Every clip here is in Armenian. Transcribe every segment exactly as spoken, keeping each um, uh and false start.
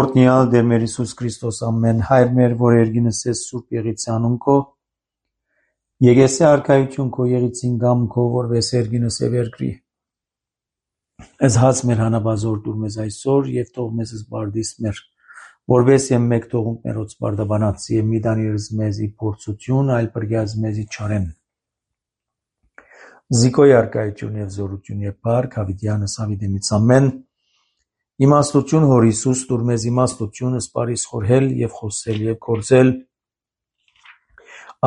Օրհնյալ Տեր մեր Հիսուս Քրիստոս ամեն հայր մեր, որ երգինս ես Սուրբ Եղիցյանուն քո, եկեսե արքայություն քո եղիցին գամ քո, որպես երգինս եւ երկրի։ Այս հաց մեր հանաբազոր դուր մեզ այսօր եւ թող մեզ զբարդիս մեր, որպես եմ մեկ թողունք մերոց բարդաբանած եւ մի դանիրս մեզի փորձություն, այլ բրգյազ մեզի չարեն։ Զիկոյ արքայություն եւ զորություն եւ բարք հավիտյանս հավիտենից ամեն։ Իմաստություն հոր Հիսուս դուր մեզ իմաստություն սպարիս խորհել եւ խոսել եւ կործել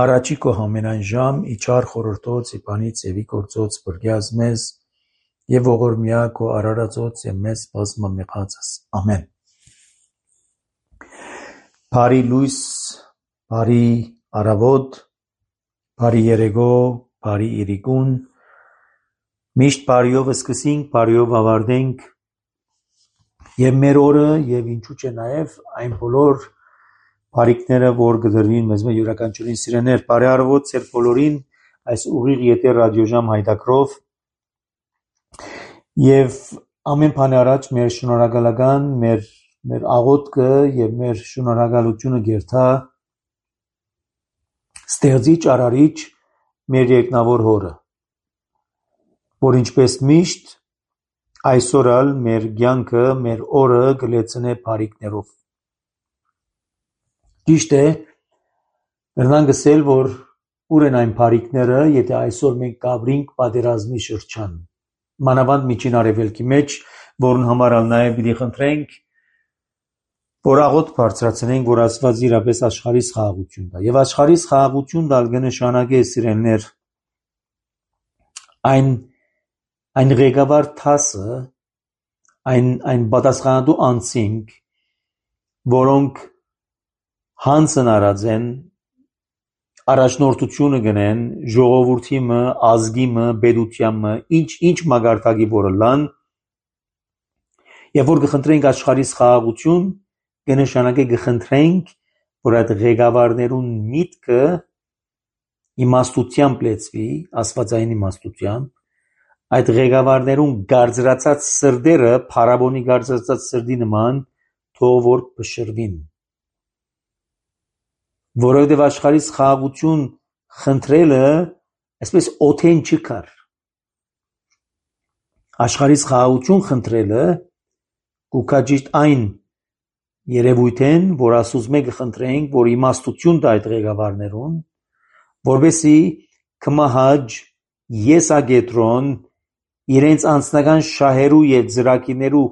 առաջի քո ամենայն ժամ իջար խորհրդոց իբանից եւի կործոց բրգյազ մեզ եւ ողորմյա քո արարածոց եւ մեզ բազմամեղածս ամեն։ Բարի լույս, բարի արավոտ, բարի երեգո, բարի իրիկուն, միշտ բարիով սկսենք, բարիով ավարտենք եւ մեր օրը եւ ինչու՞ չէ նաեւ այն բոլոր բարիկները, որ գդրվին մեզ մե յուրաքանչյուրին սիրեներ, բարի արավոտ ծեր բոլորին այս ուղիղ ետեր ռադիոժամ հայտակրով եւ ամեն բան առաջ մեր շնորհակալական, մեր մեր աղոթքը եւ մեր շնորհակալությունը գերթա ստեղծիչ արարիչ մեր երկնավոր հորը, որ ինչպես միշտ այսօր ալ մեր կյանքը, մեր օրը գլեցնե բարիկներով։ Ճիշտ է, կրնան գսել, որ ուր են այն բարիկները, եթե այսօր մենք կաբրինք պատերազմի շրջան, մանավանդ միջին արևելքի մեջ, որն համար ալ նաև պիտի խնդրենք, որ աղոթք բարձրացնենք, որ Աստված իրապես աշխարհիս խաղաղություն տա։ Եվ աշխարհիս խաղաղություն տալ կնշանակե սիրելներ այն այն ղեկավար թասը, այն այն պատասխանատու անձինք, որոնք հանցն արած են, առաջնորդությունը գնեն, ժողովրդի մը, ազգի մը, պետության մը, ինչ ինչ մագարտակի որը լան, եւ որ կխնդրենք աշխարհիս խաղաղություն, կնշանակե կխնդրենք, որ այդ ղեկավարներուն միտքը իմաստությամբ լեցվի, աստվածային իմաստությամբ, այդ ղեկավարներուն գարձրացած սրդերը, փարաբոնի գարձրացած սրդի նման, թող որ փշրվին։ Որովհետև աշխարհիս խաղաղություն խնդրելը, այսպես օթեն չկար։ Աշխարհիս խաղաղություն խնդրելը կուքա ճիշտ այն երևույթեն, որ ասուս մեկը խնդրենք, որ իմաստություն տա այդ ղեկավարներուն, որովհետեւ կմահաջ եսագետրոն իրենց անձնական շահերու եւ ծրագիրներու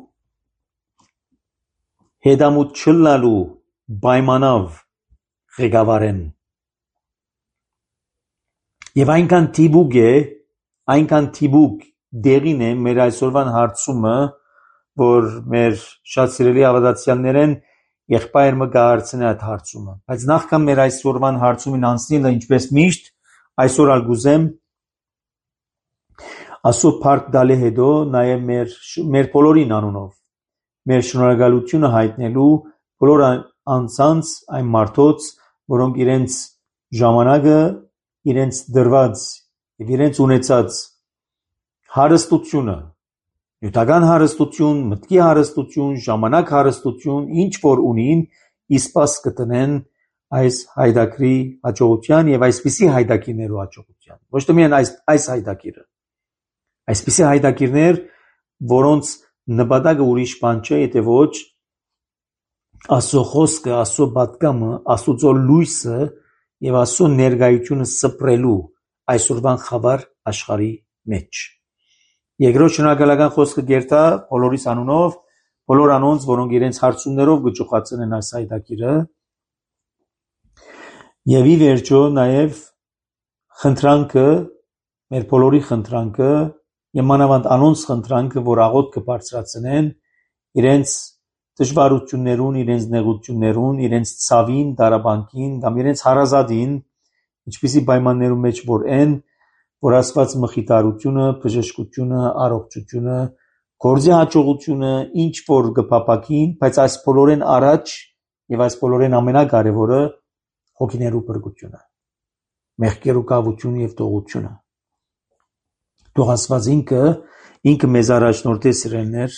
հետամուտ չլնալու պայմանավ ղեկավարեն։ Եվ այնքան թիբուկ է, այնքան թիբուկ դերին է մեր այսօրվան հարցումը, որ մեր շատ սիրելի ավադացյալներեն եղբայր մը կհարցնի այդ հարցումը։ Բայց նախքան մեր այսօրվան հարցումին անցնելը, ինչպես միշտ, այսօր ալ գուզեմ ասո փառք տալի հետո նաև մեր մեր բոլորին անունով մեր շնորհակալությունը հայտնելու բոլոր անձանց այն մարդոց, որոնք իրենց ժամանակը, իրենց դրված եւ իրենց ունեցած հարստությունը, նյութական հարստություն, մտքի հարստություն, ժամանակ հարստություն, ինչ որ ունին, իսպաս կտնեն այս հայդակրի հաջողության եւ այսպիսի հայդակիրներու հաջողության։ Ոչ թե միայն այս այս հայդակիրը, այսպիսի հայդակիրներ, որոնց նպատակը ուրիշ բան չէ, եթե ոչ Աստծո խոսքը, Աստծո պատգամը, Աստծո լույսը եւ Աստծո ներկայությունը սփռելու այսօրվան խավար աշխարհի մեջ։ Երկրորդ շնորհակալական խոսքը գերտա բոլորիս անունով, բոլոր անոնց, որոնք իրենց հարցումներով գճոխացան են այս հայտակիրը, եւ ի վերջո նաեւ խնդրանքը, մեր բոլորի խնդրանքը եւ մանավանդ անոնց խնդրանքը, որ աղոթքը բարձրացնեն իրենց դժվարություններուն, իրենց նեղություններուն, իրենց ցավին, դարաբանկին կամ իրենց հարազատին, ինչպիսի պայմաններում մեջ որ են, որ Աստված մխիթարությունը, բժշկությունը, առողջությունը, գործի հաջողությունը, ինչ որ կփապակին, բայց այս բոլորեն առաջ եւ այս բոլորեն ամենակարևորը հոգիներու բրգությունը, մեղքերու կավությունը եւ տողությունը։ Թող Աստված ինքը, ինքը մեզ առաջնորդի սիրելներ,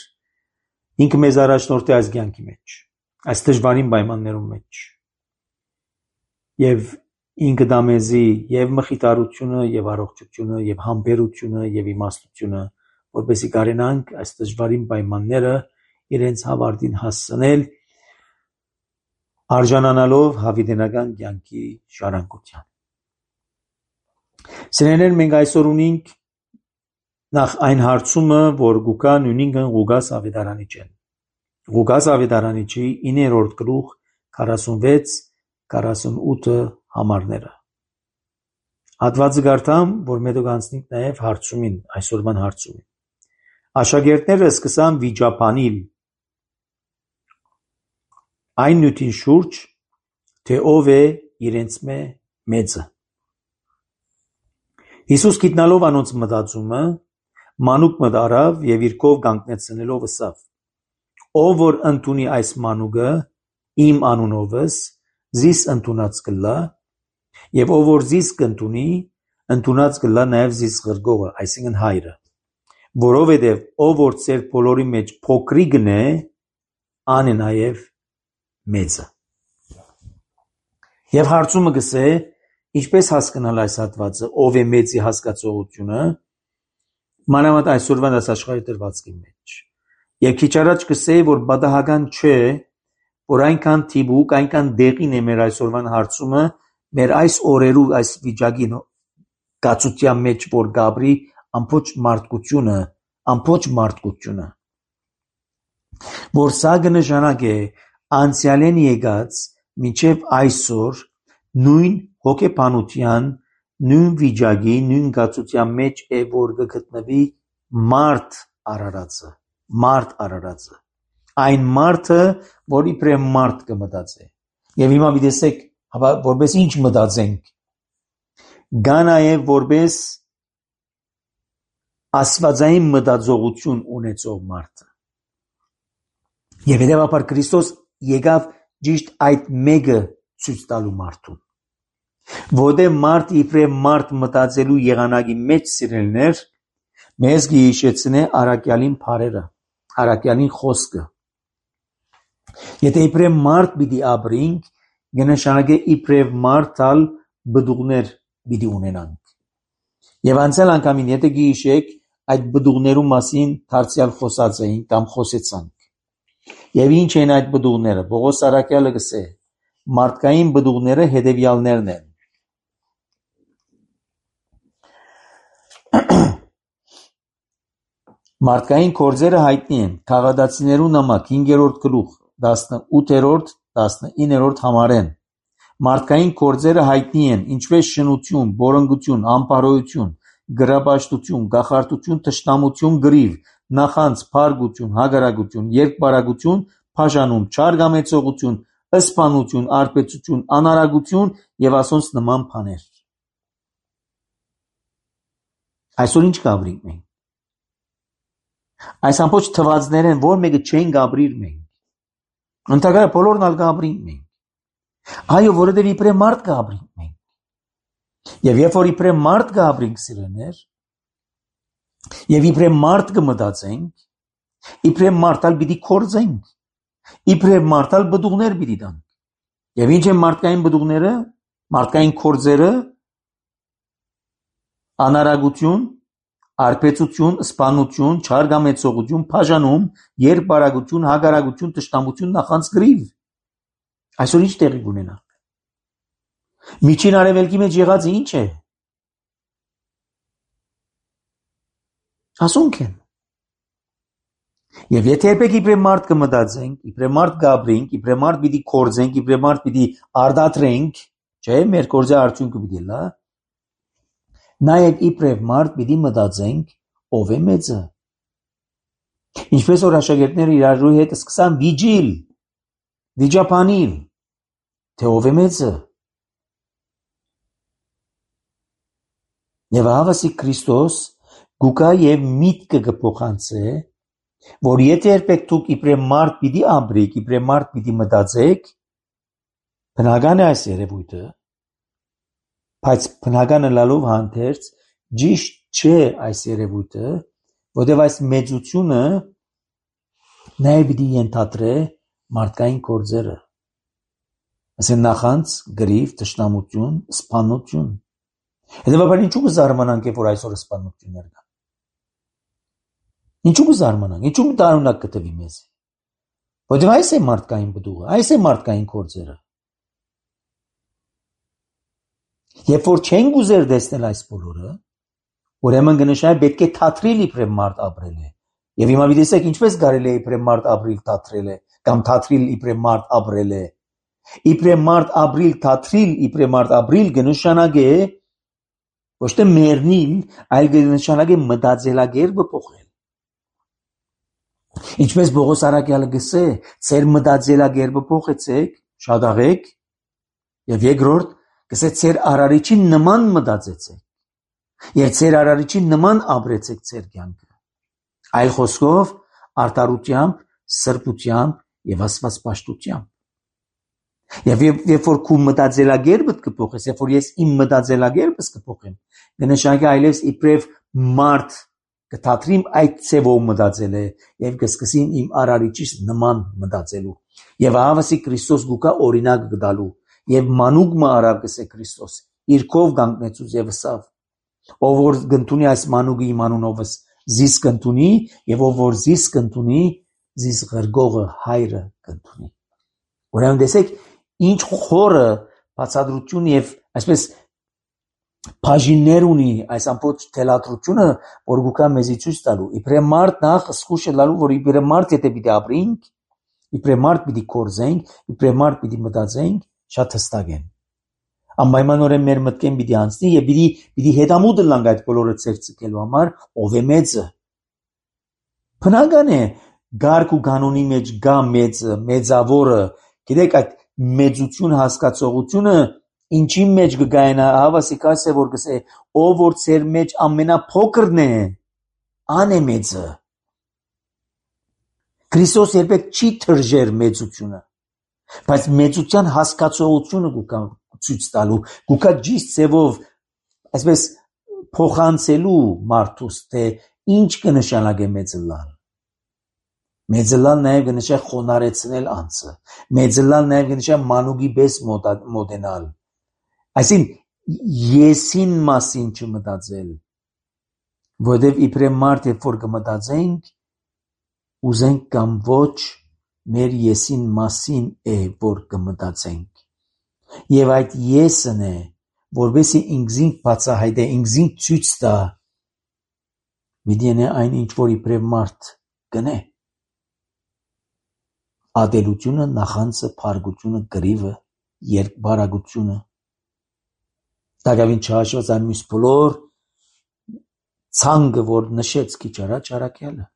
ինքը մեզ առաջնորդի այս կյանքի մեջ, այս դժվարին պայմաններում մեջ եւ ինքը դա մեզի եւ մխիթարությունը եւ առողջությունը եւ համբերությունը եւ իմաստությունը որպեսզի կարենանք այս դժվարին պայմանները իրենց հավարտին հասցնել արժանանալով հավիտենական կյանքի ժառանգության։ Սիրելիներ, մենք այսօր ունենք նախ այն հարցումը, որ գուկա նույնինքն Ղուկաս ավետարանիչն։ Ղուկաս ավետարանիչի իններորդ գլուխ քառասունվեց քառասունութ համարները։ Հատվածը կարդամ, որ մետոք անցնենք նաև հարցումին, այսօրվան հարցումին։ Աշակերտները սկսան վիճաբանիլ այն նյութին շուրջ, թե ով է իրենց մեծը։ Հիսուս գիտնալով անոնց մտածումը, մանուկ մտ առավ եւ իր կով կանգնեցնելով ըսավ. Ով որ ընդունի այս մանուկը իմ անունովս, զիս ընդունած կլա, եւ ով որ զիս կընդունի, ընդունած կլա նաեւ զիս ղրգողը, այսինքն հայրը, որովհետեւ ով որ ծեր բոլորի մեջ փոքրիկն է, ան է նաեւ մեծը։ Եվ հարցումը գսե, ինչպես հասկանալ այս հատվածը, ով է մեծի հասկացողությունը, մանավանդ այսօրվան դասաշխարհի դրվածքի մեջ։ Եվ քիչ առաջ գսեի, որ պատահական չէ, որ այնքան թիվուկ, այնքան դեղին է մեր այսօրվան հարցումը, մեր այս օրերու այս վիճակի կացության մեջ, որ գաբրի ամբողջ մարդկությունը, ամբողջ մարդկությունը, որ սա կնշանակե անցյալեն եկած մինչև այսօր նույն հոգեբանության, նույն վիճակի, նույն կացության մեջ է, որ կգտնվի մարդ արարածը, մարդ արարածը, այն մարդը, որ իբրև մարդ կմտածե։ Եվ հիմա մի տեսեք, որպես ինչ մտածենք, գա նաև որպես աստվածային մտածողություն ունեցող մարդը։ Եվ հետևաբար Քրիստոս եկավ ճիշտ այդ մեկը ցույց տալու մարդուն։ Որտեղ մարդ իբրև մարդ մտածելու եղանակի մեջ սիրելներ, մեզ գիհիշեցնե առաքյալին բարերը, առաքյալին խոսքը։ Եթե իբրև մարդ պիտի ապրենք, կնշանակե իբրև մարդ ալ բդուղներ պիտի ունենանք։ Եվ անցյալ անգամին, եթե գիհիշեք, այդ բդուղներու մասին դարձյալ խոսած էին կամ խոսեցանք։ Եվ ինչ են այդ բդուղները։ Պողոս առաքյալը գսե, մարդկային բդուղները հետևյալներն են։ Մարդկային գործերը հայտնի են Քաղատացիներու նամակ հինգերորդ գլուխ տասնութերորդ տասնիններորդ համարեն։ Մարդկային գործերը հայտնի են, ինչպես շնություն, բորոնգություն, անպարոյություն, գրապաշտություն, գախարտություն, թշնամություն, գրիվ, նախանձ, փարգություն, հագարակություն, երկբարակություն, բաժանում, չարգամեցողություն, ըսպանություն, արբեցություն, անարագություն եւ ասոնց նման բաներ։ Այսօր ինչ կապրինք մենք։ Այս ամբողջ թվածներ են, որ մեկը չեն կապրիր մենք։ Ընդհակառ բոլորն ալ կապրինք մենք։ Այո, որովհետև իբրև մարդ կապրինք մենք։ Եվ երբ որ իբրև մարդ կապրինք սիրելիներ, եւ իբրև մարդ կմտածենք, իբրև մարդալ պիտի կորձենք, իբրև մարդալ բդուղներ պիտի տանք։ Եվ ինչ են մարդկային բդուղները, մարդկային կորձերը, անարագություն, արբեցություն, սպանություն, չարգամեցողություն, բաժանում, երկբարակություն, հագարակություն, թշնամություն, նախանձ, գրիվ։ Այսօր ինչ տեղի կունենա։ Միջին արևելքի մեջ եղածը ինչ է։ Ասոնք են։ Եվ եթե երբեք իբրև մարդ կմտածենք, իբրև մարդ կապրենք, իբրև մարդ պիտի կորձենք, իբրև մարդ պիտի արդատրենք, չէ, մեր կորձի արդյունքը պիտի լա, նաև իբրև մարդ պիտի մտածենք, ով է մեծը։ Ինչպես որ աշակերտները իրարու հետ սկսան վիճիլ, վիճաբանիլ, թե ով է մեծը։ Եվ հավասի Քրիստոս գուկա եւ միտքը կփոխանցե, որ եթե երբեք դուք իբրև մարդ պիտի ապրեք, իբրև մարդ պիտի մտածեք, բնական է այս երևույթը, բայց բնականը լալով հանդերձ ճիշտ չէ այս երևույթը, որտեղ այս մեծությունը նաև պիտի ենթադրե, մարդկային գործերը։ Ասեն նախանց, գրիվ, թշնամություն, սպանություն։ Հետևաբար ինչու կզարմանանք, որ այսօր սպանություններ կան։ Ինչու կզարմանանք, ինչու տարօրինակ կտվի մեզ։ Որտեղ այս է մարդկային բդուղը, այս է մարդկային գործերը։ Երբ որ չենք ուզեր տեսնել այս բոլորը, ուրեմն կնշանակի պետք է թատրիլ իբրև մարդ ապրել է։ Եվ հիմա դիտեք ինչպես կարելի է իբրև մարդ ապրիլ թատրել է, կամ թատրիլ իբրև մարդ ապրել է։ Իբրև մարդ ապրիլ թատրիլ, իբրև մարդ ապրիլ կնշանակի ոչ թե մեռնել, այլ կնշանակի մտածելակերպը փոխել։ Ինչպես Պողոս առաքյալը գսե, ծեր մտածելակերպը փոխեցեք, շատաղեք, եւ երկրորդ գսե ծեր արարիչի նման մտածեցեք, եւ ծեր արարիչի նման ապրեցեք ծեր կյանքը։ Այլ խոսքով արդարությամբ, սրբությամբ եւ աստվածպաշտությամբ։ Եվ երբ որ քու մտածելակերպդ կփոխես, երբ որ ես իմ մտածելակերպս կփոխեմ, կնշանակի այլևս իբրև մարդ կթատրիմ այդ ցևով մտածել է եւ կսկսին իմ արարիչից նման մտածելու։ Եվ ահավասի Քրիստոս գուկա օրինակ կդալու եւ մանուկ մը արավ կսե Քրիստոս իր կով կանգնեցուց եւ սավ։ Ով որ գտնունի այս մանուկի իմանունովս զիս կընդունի եւ ով որ զիս կընդունի, զիս ղրգողը հայրը կընդունի։ Ուրեմն տեսեք ինչ խորը բացատրություն եւ այսպես բաժիններ ունի այս ամբողջ թելադրությունը, որ գուկա մեզի ցույց տալու։ Իբրև մարդ նախ սխուշը լալու, որ իբրև մարդ եթե պիտի ապրենք, իբրև մարդ պիտի կորզենք, իբրև մարդ պիտի մտածենք, շատ հստակ են։ Անպայմանորեն մեր մտքեն պիտի անցնի եւ պիտի պիտի հետամուտ լանք այդ բոլորը ցերծելու համար, ով է մեծը։ Բնական է գարկ ու կանոնի մեջ գա մեծը, մեծավորը, գիտեք այդ մեծություն հասկացողությունը ինչի մեջ կգայնա, հավասի կասե որ կսե, ով որ ծեր մեջ ամենափոքրն է, ան է մեծը։ Քրիստոս երբեք չի թրջեր մեծությունը, բայց մեծության հասկացողությունը գուկա ցույց տալու, գուկա ճիշտ ձևով այսպես փոխանցելու մարդուս, թե ինչ կնշանակե մեծը լալ։ Մեծը լալ նաև կնշանակի խոնարհեցնել անձը, մեծը լալ նաև կնշանակի մանուկի պես մոտենալ։ Այսինքն եսին մասին չմտածել, որովհետև իբրև մարդ երբ որ կմտածենք, ուզենք կամ ոչ, մեր եսին մասին է, որ կմտածենք։ Եվ այդ եսն է, որովհետեւ ինքզինք բացահայտե, ինքզինք ցույց տա, միդիենե այն ինչ որ իբրև մարդ կնե։ Ադելությունը, նախանցը, փարգությունը, գրիվը, երկբարագությունը, դակավին չհաշված այն մյուս բոլոր ցանկը, որ նշեց քիչ առաջ առաքյալը։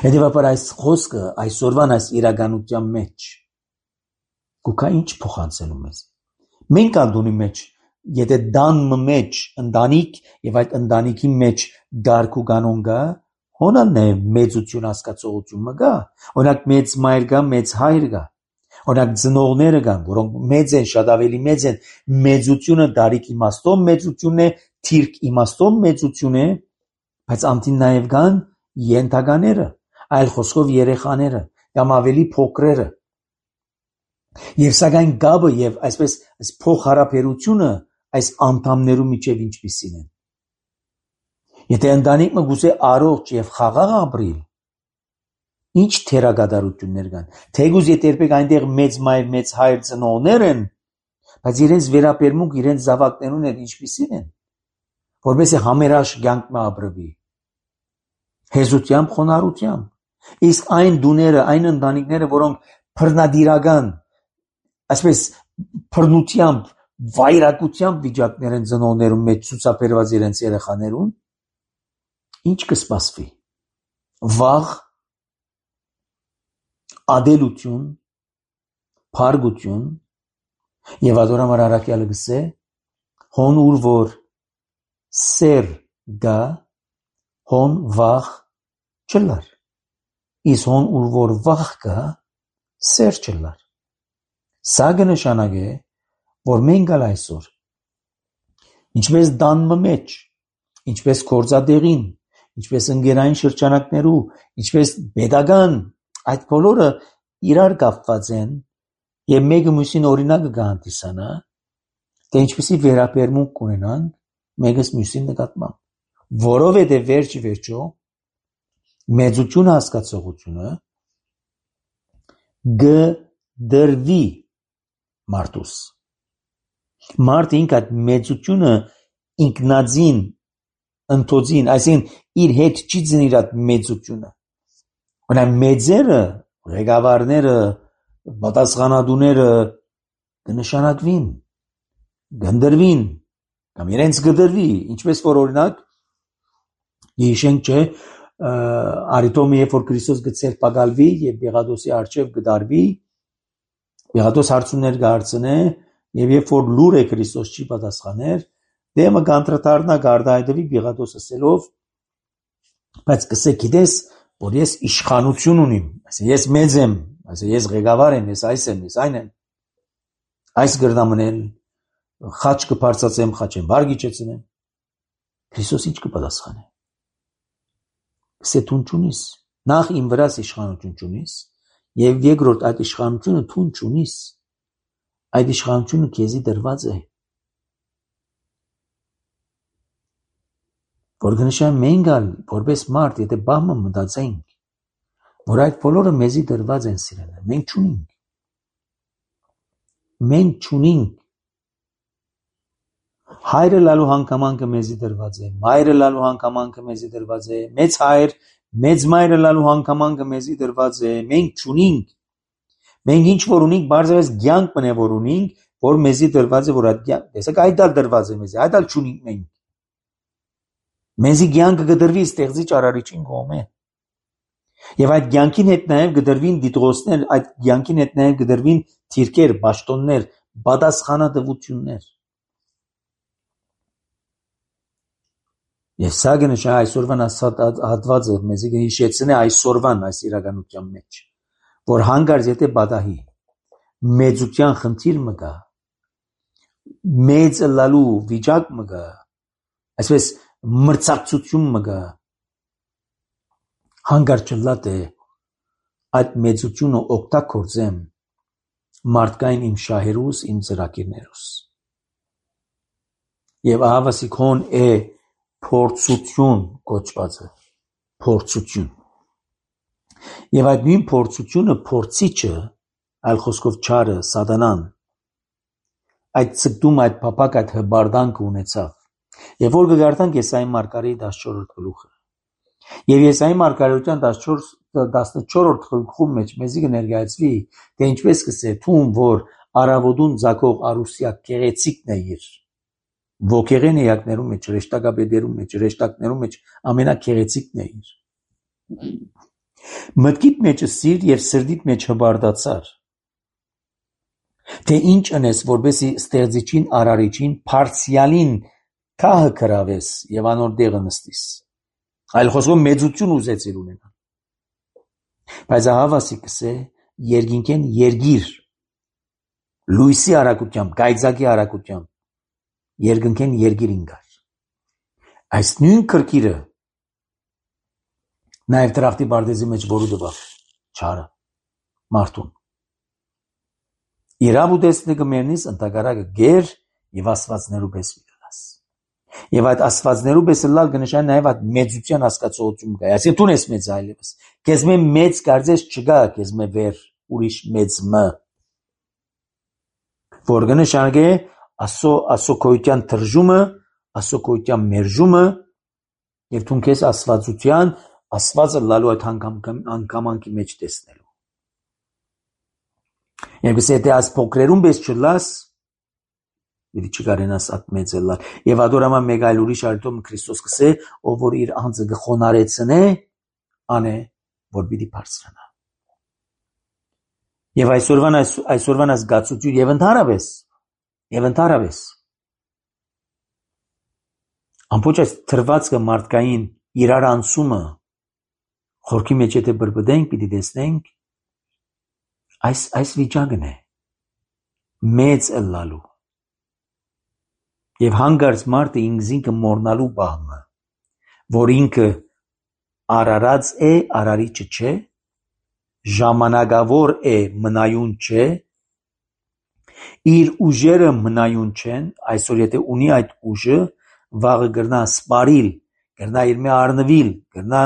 Հետևաբար այս խոսքը այսօրվան այս իրականության մեջ գուկա ինչ փոխանցելու մեզ։ Մենք անդունի մեջ, եթե դանմը մեջ ընտանիք եւ այդ ընտանիքի մեջ գարկ ու կանոն գա, հոնալն է մեծություն հասկացողություն մը գա։ Օրինակ մեծ մայր գա, մեծ հայր գա։ Օրինակ ծնողները կան, որոնք մեծ են, շատ ավելի մեծ են, մեծությունը դարիք իմաստով մեծություն է, թիրք իմաստով մեծություն է, բայց անտին նաև կան ենթակաները, այլ խոսքով երեխաները, կամ ավելի փոքրերը։ Եվ սակայն գաբը եւ այսպես այս փոխհարաբերությունը այս անդամներու միջև ինչպիսին են։ Եթե ընտանիքը գուցե առողջ եւ խաղաղ ապրի, ինչ թերագադարություններ կան։ Թեգուզ եթե երբեք այնտեղ մեծ մայր, մեծ հայր ծնողներ են, բայց իրենց վերաբերմունք իրենց զավակներուն հետ ինչպիսին են, որովհետեւ համերաշ կյանք մը ապրվի։ Հեզությամբ, խոնարհությամբ։ Իսկ այն դուները, այն ընտանիքները, որոնք բռնադիրական, այսպես բռնությամբ, վայրակությամբ վիճակներ են ծնողներուն մեջ ցուցաբերված իրենց երեխաներուն, ինչ կսպասվի։ Վաղ, ադելություն, փարգություն եւ ադորամար առաքյալը գսե հոն ուր որ սեր գա հոն վաղ չլար իս հոն ուր որ վաղ գա սեր չլար սա կնշանակե որ մենք ալ այսօր ինչպես դանմը մեջ ինչպես գործադեղին ինչպես ընկերային շրջանակներու ինչպես pedagogan այդ բոլորը իրար կապված են եւ մեկը մյուսին օրինակը կհանդիսանա, թե ինչպեսի վերաբերմունք կունենան մեկս մյուսին նկատմամբ, որովհետեւ վերջի վերջո մեծություն հասկացողությունը գդրվի մարդուս մարդ ինք այդ մեծությունը ինքնածին ընթոցին, այսինքն իր հետ չի ծնիր այդ մեծությունը, որն մեծերը, ղեկավարները, պատասխանատուները կնշանակվին, գնդրվին, կամ իրենց գդրվի, ինչպես որ օրինակ հիշենք չէ, արիտոմը երբ որ Քրիստոս գծեր պագալվի եւ Պիղատոսի արչեւ գդարվի, Պիղատոս հարցումներ կհարցնե եւ երբ որ լուր է Քրիստոս չի պատասխաներ, դեմը կանտրատարնա գարդայդվի Պիղատոս ասելով, բայց կսե գիտես, որ ես իշխանություն ունիմ, այսինքն ես մեծ եմ, այսինքն ես ղեկավար եմ, ես այս եմ, ես այն եմ, այս գրնամնել, խաչ կբարձացեմ, խաչեմ բարգի չեցնեմ, Քրիստոս ինչ կպատասխանե, կսե թուն չունիս, նախ իմ վրաս իշխանություն չունիս, եւ երկրորդ այդ իշխանությունը թուն չունիս, այդ իշխանությունը քեզի դրված է, որ գնշան մենք ալ, որպես մարդ, եթե բահմը մտածենք, որ այդ բոլորը մեզի դրված են սիրելը, մենք չունենք, մենք չունենք, հայրը լալու հանգամանքը մեզի դրված է, մայրը լալու հանգամանքը մեզի դրված է, մեծ հայր, մեծ մայրը լալու հանգամանքը մեզի դրված է, մենք չունենք, մենք ինչ որ ունենք, բարձրապես կյանք մնե որ ունենք, որ մեզի դրված է, որ այդ կյանք, տեսեք այդ ալ դրված է մեզի, այդ ալ չունենք մենք, մեզի կյանքը կդրվի ստեղծիչ արարիչին կողմէ, եւ այդ կյանքին հետ նաեւ կդրվին դիտողներ, այդ կյանքին հետ նաեւ կդրվին թիրքեր, պաշտոններ, պատասխանատվություններ, եւ սա գնշա այսօրվան հատվածը մեզի կհիշեցնե այսօրվան այս իրականության մեջ, որ հանգարց եթե բադահի մեծության խնդիր մը կա, մեծ լալու վիճակ մը կա, այսպես մրցակցություն մը կա, հանգարց չլատ է այդ մեծությունը օգտագործեմ մարդկային իմ շահերուս, իմ ծրագիրներուս, եւ ահավասիկ հոն է փորձություն կոչվածը, փորձություն, եւ այդ նույն փորձությունը փորձիչը, այլ խոսքով չարը, սատանան, այդ ցկտում այդ փապակ այդ հբարդանքը ունեցավ, եւ որ կգարտանք Եսայի մարգարեի տասնչորրորդ գլուխը, եւ Եսայի մարգարեության տասնչորրորդ գլխում մեջ մեզի կներկայացվի, թե ինչպես կսե թուն, որ արավոդուն ցակող արուսիա գեղեցիկն է իր ոգեղեն էակներում մեջ, ռեշտակաբեդերում մեջ, ռեշտակներում մեջ ամենագեղեցիկն է իր, մտքիդ մեջը սիր եւ սրդիդ մեջ հբարդացար, թե ինչ անես, որբեսի ստեղծիչին արարիչին փարսիալին քահը կրավես եւ անոր դեղը նստիս, այլ խոսքով մեծություն ուզեցիր ունենալ, բայց ահավասի կսե երկինքեն երգիր, լույսի արագությամբ, գայծակի արագությամբ, երկնքեն երգիր ինգար, այս նույն կրկիրը նաև տրախտի բարձի մեջ որու դվավ, չարը, մարդուն, իրավ ու տեսնի կմերնիս ընտագարակը գեր և ասվածներու պես վիրելաս, և այդ ասվածներու պես լալ կնշան նաև այդ մեծության հասկացողություն կա, այսին տուն ես մեծ այլևս, կեզ մե մեծ կարծես չգա, կեզ մե վեր ուրիշ մեծ մը, որ կնշան է ասո ասոքոյության թրժումը, ասոքոյության մերժումը եւ թուն քեզ ասվածության, ասվածը լալու այդ հանգամանքի մեջ տեսնելու։ Եվ գսե թե աս փոքրերուն պես չլաս, դի չկարենաս at մեծը լալ։ Եվ ադորամա մեկ այլ ուրիշ արտոմ Քրիստոս կսե, ով որ իր անձը գխոնարեցնե, անե, որ պիտի բարձրանա։ Եվ այսօրվան այսօրվան այս գացություն եւ ընդհանրապես Եվ ընդհանրապես ամբողջ այս թրվածքը մարդկային իրար անցումը խորքի մեջ եթե բրբդենք, պիտի տեսնենք այս այս վիճակն է մեծ ըլլալու եւ հանգարց մարդը ինքզինքը մորնալու բահմը, որ ինքը արարած է, արարիչը չէ, ժամանակավոր է, մնայուն չէ, իր ուժերը մնայուն չեն, այսօր եթե ունի այդ ուժը, վաղը գրնա սպարիլ, գրնա իր մի արնվիլ, գրնա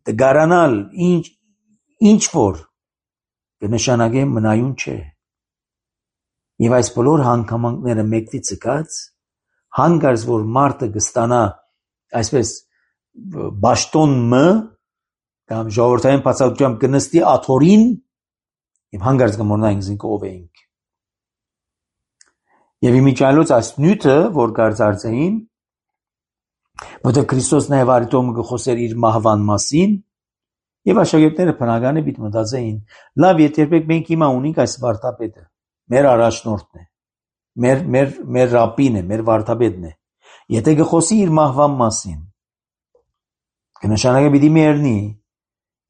դգարանալ, ինչ, ինչ որ, կնշանակե մնայուն չէ։ Եվ այս բոլոր հանգամանքները մեկտի ցկած, հանգարց որ մարդը կստանա այսպես բաշտոն մը կամ ժողովրդային բացատրությամբ կնստի աթորին եւ հանգարց կմոռնայինք զինք ով էինք։ Եվ իմիջիայլոց այս նյութը, որ գարձարձային, որտեղ Քրիստոս նաև արիտոմը գխոսեր իր մահվան մասին, եւ աշակերտները բնական է պիտի մտածեին, լավ, եթե երբեք մենք հիմա ունենք այս վարդապետը, մեր առաջնորդն է, մեր մեր մեր ռաբին է, մեր վարդապետն է, եթե գխոսի իր մահվան մասին, կնշանակե պիտի մեռնի,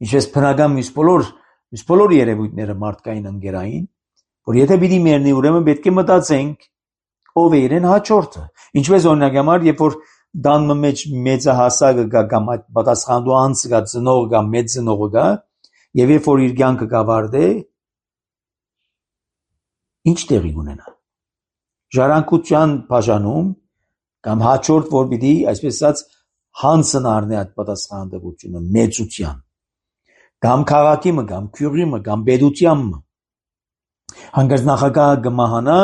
ինչպես բնական մյուս բոլոր մյուս բոլոր երևույթները մարդկային ընկերային, որ եթե պիտի մեռնի, ուրեմն պետք է մտածենք ով է իրեն հաջորդը, ինչպես օրինակ համար, երբ որ դանմը մեջ մեծահասակը գա կամ այդ պատասխանատու անձը գա, ծնողը գա, մեծ ծնողը գա, եւ երբ որ իր կյանքը կավարտե, ինչ տեղի կունենա։ Ժառանգության բաժանում կամ հաջորդ որ պիտի, այսպես ասած, հանցն առնի այդ պատասխանատվությունը մեծության, կամ քաղաքի մը, կամ քյուրի մը, կամ պետության մը, հանգարց նախագահը կմահանա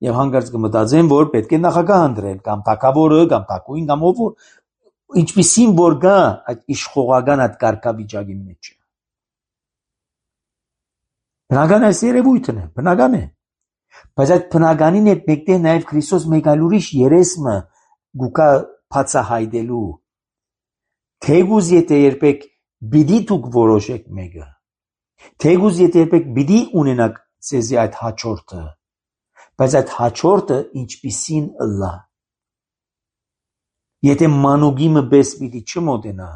եւ հանգարց կմտածեն, որ պետք է նախագահ ընտրել, կամ թագավորը, կամ թագուհին, կամ ով որ, ինչպիսին որ գա այդ իշխողական այդ կարգավիճակի մեջ։ Բնական այս երևույթն է, բնական է, բայց այդ բնականին հետ մեկտեղ նաեւ Քրիստոս մեկ այլ ուրիշ երեսմը գուկա բացահայտելու, թեգուզ եթե երբեք բիդի դուք որոշեք մեկը, թեգուզ եթե երբեք բիդի ունենաք ձեզի այդ հաջորդը, բայց այդ հաջորդը ինչպիսին ըլլա, եթե մանուկի մը բես պիտի չմոտենա,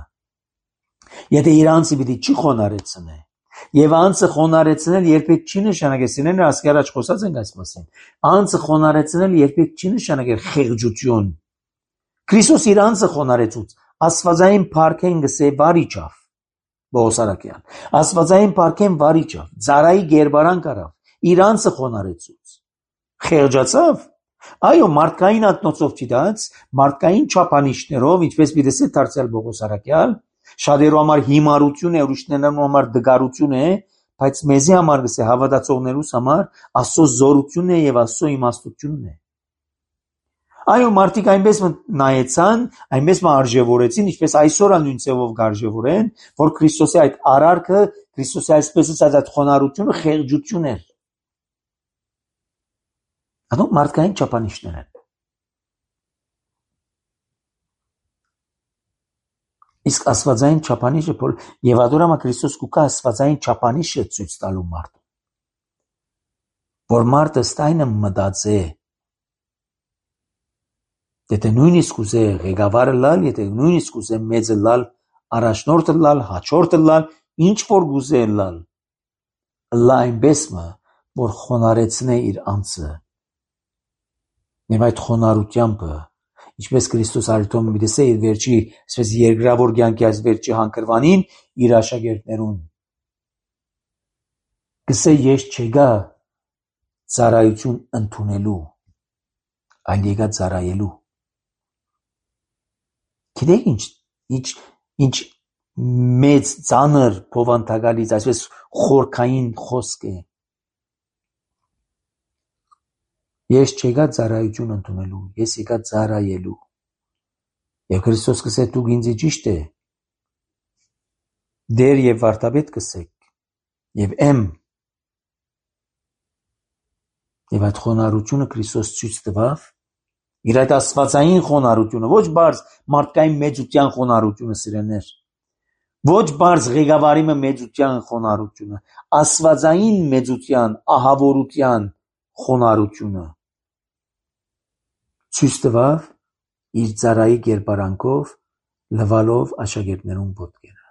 եթե իր անձը պիտի չի խոնարեցնե, եւ անձը խոնարեցնել երբեք չի նշանակե, սիրելիներ, ասկի առաջ խոսած ենք այս մասին, անձը խոնարեցնել երբեք չի նշանակե խեղճություն, Քրիստոս իր անձը խոնարեցուց, աստվածային փառքեն գսե վարիչավ, Բողոսարակյան, աստվածային փառքեն վարիչավ, ծարայի գերբարան կարավ, իր անձը խոնարեցուց, խեղճացավ, այո, մարդկային ակնոցով չդած, մարդկային չափանիշներով, ինչպես պիտի է դարձյալ Բողոսարակյալ, շատերու համար հիմարություն է, ուրիշներու համար դգարություն է, բայց մեզի համար գսե հավատացողներուս համար Աստծո զորությունն է եւ Աստծո իմաստությունն է։ Այո, մարդիկ այնպես նայեցան, այնպես արժևորեցին, ինչպես այսօր նույն ձևով կարժևորեն, որ Քրիստոսի այդ արարքը, Քրիստոսի այսպես ասած այդ խոնարհությունը խեղճություն էր։ Անոնք մարդկային չափանիշներ են։ Իսկ աստվածային չափանիշը եւ ադորամա Քրիստոս կուկա աստվածային չափանիշը ցույց տալու մարդ, որ մարդը ստայնը մտածե, եթե նույնիսկ ուզե ղեկավարը լալ, եթե նույնիսկ ուզե մեծը լալ, առաջնորդը լալ, հաջորդը լալ, ինչ որ գուզե լալ, լա այնպես մը, որ խոնարեցնե իր անձը, եւ այդ խոնարհությամբ, ինչպես Քրիստոս արիտոմը դեսե իր վերջի, այսպես երկրավոր կյանքի այս վերջի հանգրվանին իր աշակերտներուն, գսե ես չեկա ծառայություն ընդունելու, այլ եկա ծառայելու։ Գիտեք ինչ, ինչ, ինչ մեծ ծանր փոխանցակալից, այսպես խորքային խոսք է։ Ես չեկա ծառայություն ընդունելու, ես եկա ծառայելու։ Եվ Քրիստոս կսե դուք ինձ ճիշտ է, դեր եւ վարդապետ կսեք, եւ եմ։ Եվ այդ խոնարհությունը Քրիստոս ցույց տվավ, իր այդ աստվածային խոնարհությունը, ոչ բարձ մարդկային մեծության խոնարհությունը, սիրելիներ, ոչ բարձ ղեկավարի մեծության խոնարհությունը, աստվածային մեծության, ահավորության խոնարհությունը ցույց տվավ իր ծառայի կերպարանքով, լվալով աշակերտներուն ոտքերը։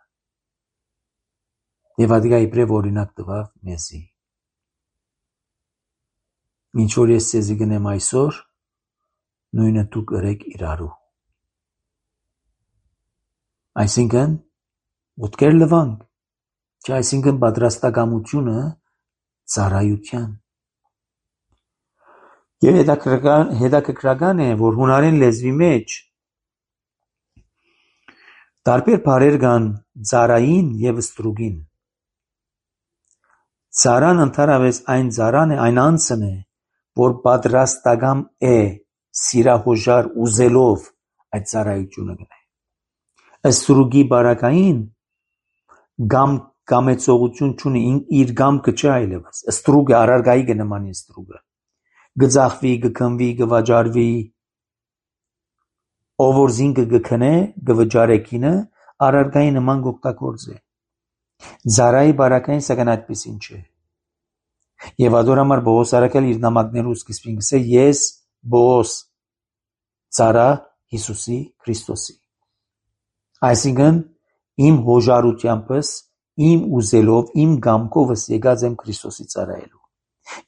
Եվ ադիգա իբրև օրինակ տվավ մեզի։ Ինչ որ ես ցեզի գնեմ այսօր, նույնը դու գրեք իրարու։ Այսինքն, ոտքեր լվանք, Չէ, այսինքն պատրաստակամությունը ծառայության։ Եվ հետաքրքրական, հետաքրքրական է, որ հունարեն լեզվի մեջ տարբեր բառեր կան ծառային եւ ստրուգին։ Ծառան ընդհանրապես այն ծառան է, այն անձն է, որ պատրաստակամ է սիրահոժար ուզելով այդ ծառայությունը գնա։ Ստրուգի բարակային գամ կամեցողություն չունի, իր գամքը չէ այլևս։ Ստրուգը արարգայի կնմանի ստրուգը։ Գծախվի, գքնվի, գվաճարվի, ով որ զինքը գքնե, գվճարե կինը, արարգայի նման գօգտագործ է։ Ծառայի բարակային սակայն այդպեսին չէ։ Եվ ադոր համար Պողոս արաքել իր նամակներու սկիզբին գսե ես Պողոս ծառա Հիսուսի Քրիստոսի։ Այսինքն իմ հոժարությանպես, իմ ուզելով, իմ գամքովս եկած եմ Քրիստոսի ծառայելու։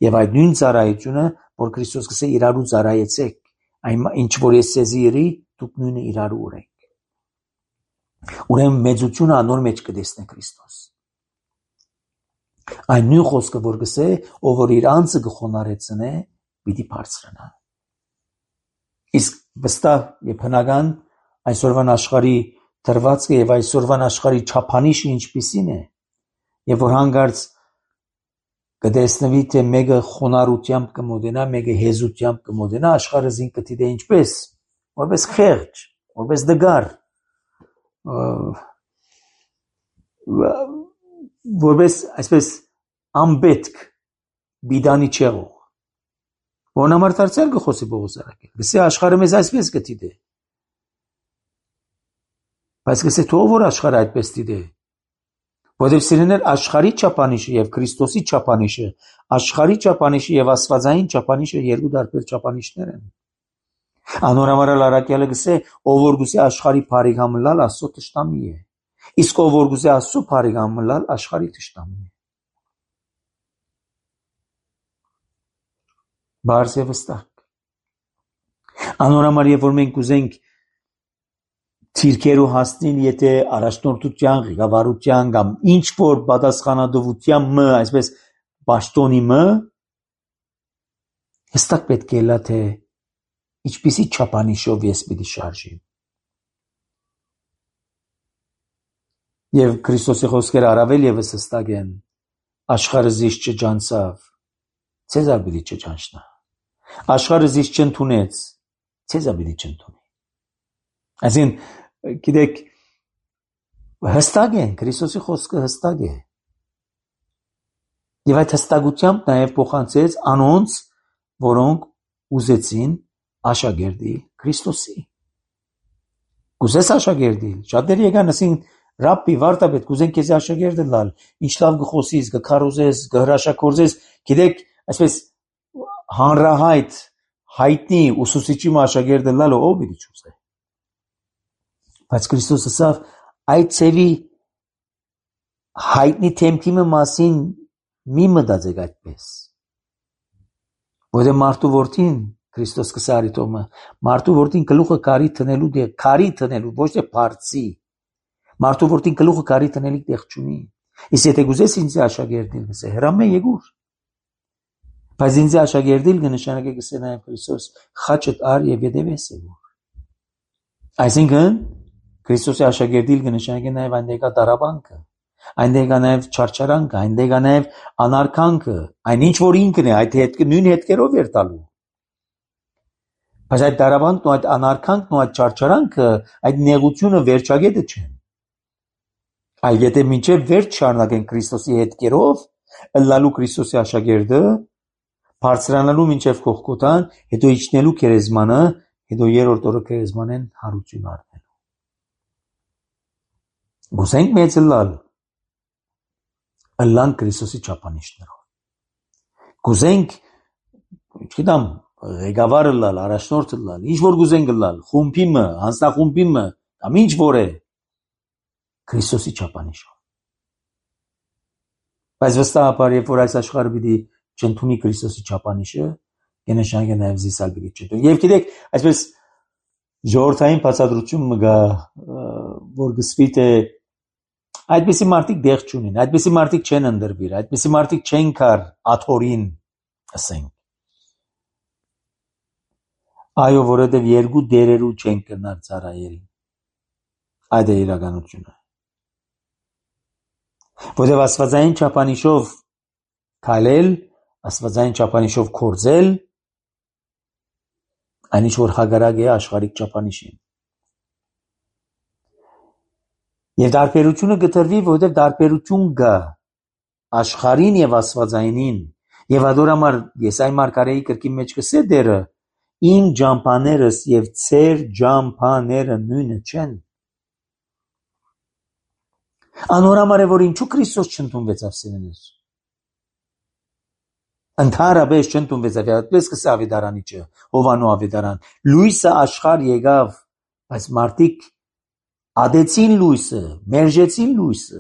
Եվ այդ նույն ծառայությունը, որ Քրիստոս գսե իրարու ծառայեցեք, այն ինչ որ ես սեզի երի, դուք նույնը իրարու ունեք։ Ուրեմն մեծությունը անոր մեջ կտեսնե Քրիստոս։ Այն նույն խոսքը, որ գսե, ով որ իր անձը կխոնարեցնե, պիտի բարձրանա։ Իսկ վստահ եւ հնական այսօրվան աշխարհի դրվածքը եւ այսօրվան աշխարհի չափանիշը ինչպիսին է, եւ որ հանգարց կտեսնվի թե մեկը խոնարհությամբ կմոտենա, մեկը հեզությամբ կմոտենա, աշխարհը զին կդիտե ինչպես, որպես խեղճ, որպես դգար, որպես այսպես անպետք բիդանի չեղող։ Որն համար դարձյալ կխոսի Պողոս արաքել։ Գսե աշխարհը մեզ այսպես կդիտե։ Բայց գսե թող որ աշխարհը այդպես դիտե։ Որովհետև սիրեներ աշխարհի չափանիշը եւ Քրիստոսի չափանիշը, աշխարհի չափանիշը եւ աստվածային չափանիշը երկու տարբեր չափանիշներ են։ Անորամարալ արաքյալը գսե, ով որ գուսե աշխարհի բարիգամլալ Աստծո թշնամի է։ Իսկ ով որ գուսե Աստծո բարիգամլալ աշխարհի թշնամին է։ Բարձ եւ վստահ։ Անորամար եւ որ մենք ուզենք թիրքերու հասնին, եթե առաջնորդության, ղեկավարության կամ ինչ որ պատասխանատվության մը, այսպես պաշտոնի մը, հստակ պետք է լա թե ինչպիսի չափանիշով ես պիտի շարժիմ։ Եվ Քրիստոսի խոսքերը առավել եւս հստակ են, աշխարհը զիս չջանցավ, ցեզար պիտի չջանչնա։ Աշխարհը զիս չընդունեց, ցեզար պիտի չընդունի։ Այսին գիտեք հստակ է, Քրիստոսի խոսքը հստակ է։ Եվ այդ հստակությամբ նաև փոխանցեց անոնց, որոնք ուզեցին աշակերտի Քրիստոսի։ Կուզես աշակերտի, շատերը եկան ասին Ռաբբի, վարտապետ, կուզենք քեզ աշակերտ լալ, ինչ լավ գխոսես, գքարոզես, գհրաշագործես, գիտեք, այսպես հանրահայտ, հայտնի ուսուցիչի աշակերտ լալը ով պիտի չուզե։ Բայց Քրիստոս ասավ այդ ցևի հայտնի թեմքիմը մասին մի մտածեք այդպես։ Որը մարդու որդին Քրիստոս կսարի տոմը, մարդու որդին գլուխը կարի տնելու դեղ, կարի տնելու, ոչ թե բարձի։ Մարդու որդին գլուխը կարի տնելի տեղ չունի։ Իսկ եթե գուզես ինձ աշակերտել, գսե հրամե եկուր։ Բայց ինձ աշակերտել կնշանակե գսե նաև Քրիստոս խաչդ ար եւ յետևես եկուր։ Այսինքն Քրիստոսի աշակերտել կնշանակե նաև այնտեղ կա դարաբանքը, այնտեղ կա նաև չարչարանքը, այնտեղ կա նաև անարքանքը, այն ինչ որ ինքն է, այդ հետ նույն հետքերով էր տալու։ Բայց այդ դարաբանքն ու այդ անարքանքն ու այդ չարչարանքը, այդ նեղությունը վերջագետը չեն։ Այլ եթե մինչև վերջ շարունակեն Քրիստոսի հետքերով, ըլլալու Քրիստոսի աշակերտը, բարձրանալու մինչև կողքոտան, հետո իջնելու քերեզմանը, հետո երրորդ օրը քերեզմանեն հարություն առնելու։ Գուսենք մեծ ըլլալ, ըլլան Քրիստոսի չափանիշներով։ Գուզենք, չգիտեմ, ղեկավար ըլլալ, առաջնորդ ըլլալ, ինչ որ գուզենք ըլլալ, խումբիմը, հանձնախումբիմը, կամ ինչ որ է, Քրիստոսի չափանիշով։ Բայց վստահաբար, երբ որ այս աշխարհը պիտի չընդունի Քրիստոսի չափանիշը, կնշանակե նաև զիսալ պիտի չընդունի։ Եվ գիտեք, այսպես ժողովրդային բացատրություն մը գա, որ գսվի թե Այդպիսի մարդիկ դեղ չունին, այդպիսի մարդիկ չեն ընդրվիր, այդպիսի մարդիկ չեն կար աթորին, ասենք։ Այո, որովհետև երկու դերերու չեն կրնար ծառայել։ Այդ է իրականությունը։ Որովհետև աստվածային չափանիշով քայլել, աստվածային չափանիշով կործել, այն ինչ որ հագարակ է աշխարհիկ չափանիշին։ Եվ դարբերությունը գտրվի, որովհետև դարբերություն կա աշխարհին եւ աստվածայինին։ Եվ ադոր համար Եսայի մարգարեի կրկին մեջ կսե դերը իմ ջամփաներս եւ ծեր ջամփաները նույնը չեն։ Անորամար է որ ինչու Քրիստոս չընդունվեց ավսենենից։ Ընդհանրապես չընդունվեց ավետարանը, կսե ավետարանիչը, Հովանու ավետարան։ Լույսը աշխարհ եկավ, բայց մարդիկ ադեցին լույսը, մերժեցին լույսը,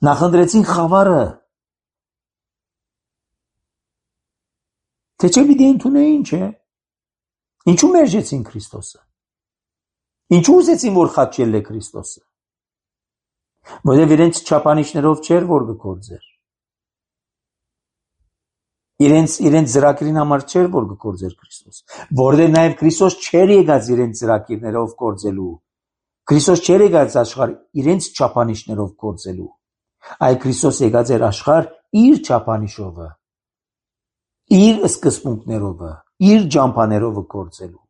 նախընտրեցին խավարը։ Թե չէ պիտի ընդունեին, չէ։ Ինչու մերժեցին Քրիստոսը։ Ինչու ուզեցին որ խաչել է Քրիստոսը։ Որովհետև իրենց չափանիշներով չէր որ գործեր։ Իրենց իրենց ծրագրին համար չէր որ գործեր Քրիստոս։ Որովհետև նաև Քրիստոս չէր եկած իրենց ծրագրերով գործելու։ Քրիստոս չէր եկած աշխարհ իրենց չափանիշներով գործելու։ Այլ Քրիստոս եկած էր աշխարհ իր չափանիշով, իր սկզբունքներով, իր ջամփաներով գործելու։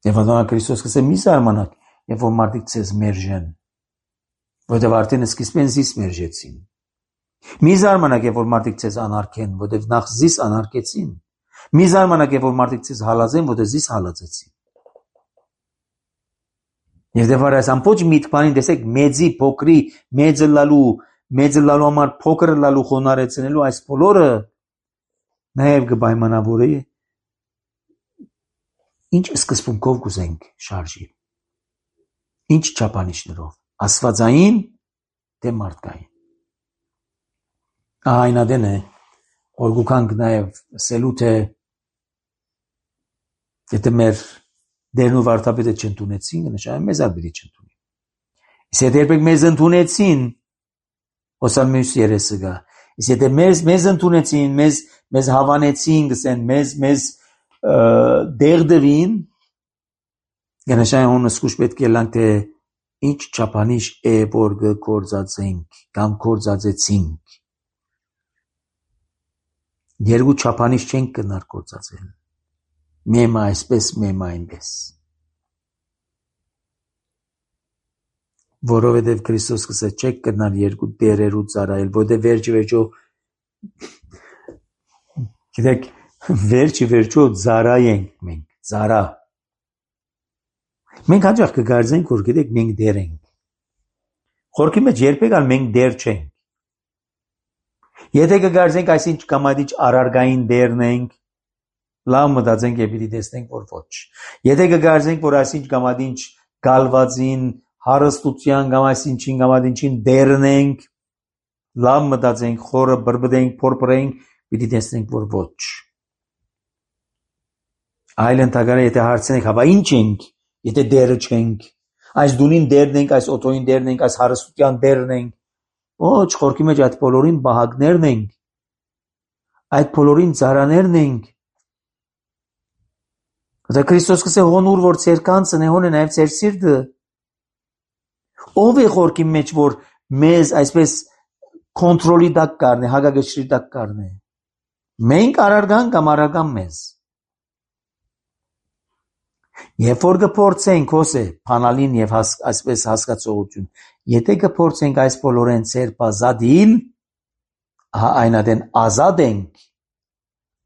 Եվ անդոն Քրիստոս կսե մի զարմանաք, երբ որ մարդիկ ցեզ մերժեն, որովհետև արդեն սկիզբեն զիս մերժեցին։ Մի զարմանաք, երբ որ մարդիկ ցեզ անարգեն, որովհետև նախ զիս անարգեցին։ Մի զարմանաք, երբ որ մարդիկ ցեզ հալածեն, որովհետև զիս հալածեցին։ Եվ դեպար այս ամբողջ միտքանին տեսեք մեծի փոքրի մեծը լալու, մեծը լալու համար փոքրը լալու խոնարեցնելու այս բոլորը նաև կպայմանավորի ինչ սկզբունքով կուզենք շարժի։ Ինչ չափանիշներով, աստվածային թե մարդկային։ Ահա այն ադեն է, որ գուքանք նաև սելու թե եթե մեր դերն ու վարդապետը չընդունեցին, նշանակում մեզ ալ պիտի չընդունի։ Իսկ եթե երբեք մեզ ընդունեցին, հոսալ մյուս երեսը գա։ Իսկ եթե մեզ մեզ ընդունեցին, մեզ մեզ հավանեցին, գսեն մեզ մեզ դերդվին, նշանակում սկուշ պետք է լանք թե ինչ չափանիշ է որ գործածենք կամ գործածեցինք։ Երկու չափանիշ չենք կնար գործածել։ Մեմը այսպես, մեմը այնպես։ Որովհետև Քրիստոս կսե չեք կնար երկու դերերու ծառայել, որովհետև վերջի վերջո գիտեք, վերջի վերջո ծառա ենք մենք, ծառա։ Մենք հաճախ կգարձենք, որ գիտեք, մենք դեր ենք։ Խորքի մեջ երբեք ալ մենք դեր չենք։ Եթե կգարձենք այսինչ կամադիչ արարգային դերն ենք, լավ մտածենք եւ պիտի տեսնենք, որ ոչ։ Եթե կգարձենք, որ այսինչ կամադիչ գալվածին, հարստության կամ այսինչին կամադիչին դերն ենք, լավ մտածենք, խորը բրբդենք, փորփրենք, պիտի տեսնենք, որ ոչ։ Այլ ընդհանրապես եթե հարցնենք, հավա ինչ ենք, եթե դերը չենք, այս դունին դերն ենք, այս օտոյին դերն ենք, այս հարստության դերն ենք, ոչ, խորքի մեջ այդ բոլորին բահակներն ենք, այդ բոլորին ծառաներն ենք։ Դա Քրիստոս կսե հոնուր որ ծեր կանցն է, հոն է նաև ծեր սիրտը։ Ով է խորքի մեջ որ մեզ այսպես կոնտրոլի տակ կառնի, հագագշրի տակ կառնի։ Մենք արարգան կամ արարգան մեզ։ Երբ որ կփորձենք հոսե փանալին եւ հաս, այսպես հասկացողություն, եթե կփորձենք այս բոլորեն ծեր բազադիլ, ահա այնադեն ազատ ենք,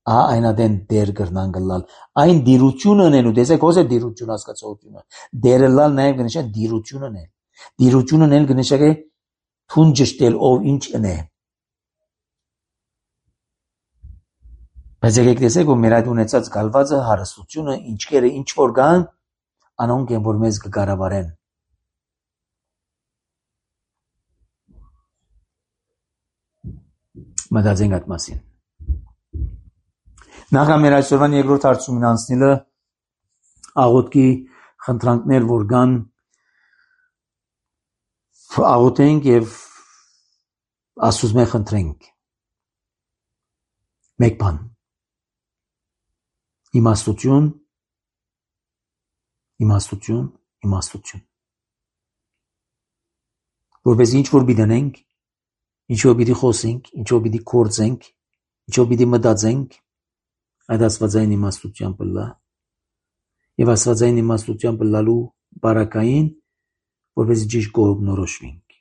ահա այնադեն դեր կրնան գլալ, այն դիրությունն են ու տեսեք հոսե դիրություն հասկացողությունը, դերը լալ նաեւ կնշա դիրությունն է, դիրությունն են կնշա է թուն ճշտել ով ինչն է։ Բայց եկեք տեսեք, որ մեր այդ ունեցած գալվածը հարստությունը, ինչքերը ինչ որ կան, անոնք են, որ մեզ կկառավարեն։ Մտածենք այդ մասին։ Նախ մեր այսօրվան երկրորդ հարցումին անցնելը աղոթքի խնդրանքներ, որ կան աղոթենք եւ Աստծո խնդրենք մեկ բան իմաստություն իմաստություն իմաստություն որպես ինչ որ բիդանենք ինչ որ պիտի խոսենք ինչ որ պիտի կործենք ինչ որ պիտի մտածենք այդ աստվածային իմաստությամբ լա եւ աստվածային իմաստությամբ լալու բարակային որպես ճիշտ կողմնորոշվենք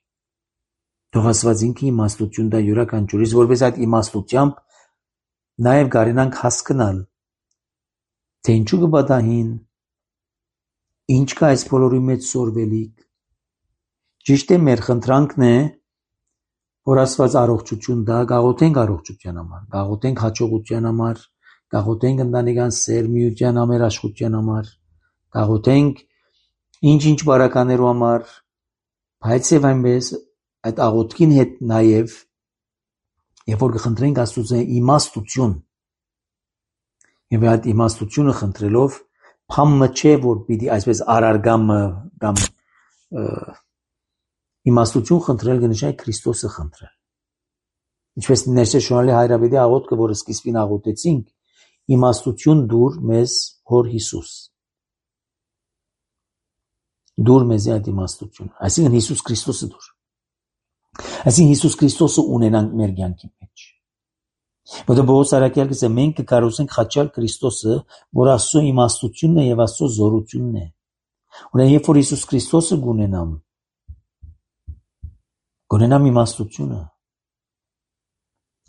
թող աստված ինքը իմաստություն դա յուրաքանչյուրիս որպես այդ իմաստությամբ նաև կարենանք հասկանալ թե ինչու կբադահին ինչ կա այս բոլորի մեջ սորվելիք ճիշտ է մեր խնդրանքն է որ աստված առողջություն դա գաղութենք առողջության համար գաղութենք հաջողության համար գաղութենք ընտանեկան սերմիության ամերաշխության համար գաղութենք ինչ-ինչ բարականերու համար բայց եւ այնպես այդ աղոթքին հետ նաև երբ որ կխնդրենք Աստծո իմաստություն եւ այդ իմաստությունը խնդրելով փամը չէ որ պիտի այսպես արարգամը կամ իմաստություն խնդրել կնշանակի Քրիստոսը խնդրել ինչպես ներշնչանալի հայրաբեդի աղոթքը որը սկիզբին աղոթեցինք իմաստություն դուր մեզ հոր Հիսուս դուր մեզ այդ իմաստություն այսինքն Հիսուս Քրիստոսը դուր այսինքն Հիսուս Քրիստոսը ունենանք մեր կյանքի մեջ որտեղ Պողոս առաքյալը ասում է մենք կկարողանանք խաչալ Քրիստոսը որ Աստծո իմաստությունն է եւ Աստծո զորությունն է ուրեմն երբ որ Հիսուս Քրիստոսը գունենամ գունենամ իմաստությունը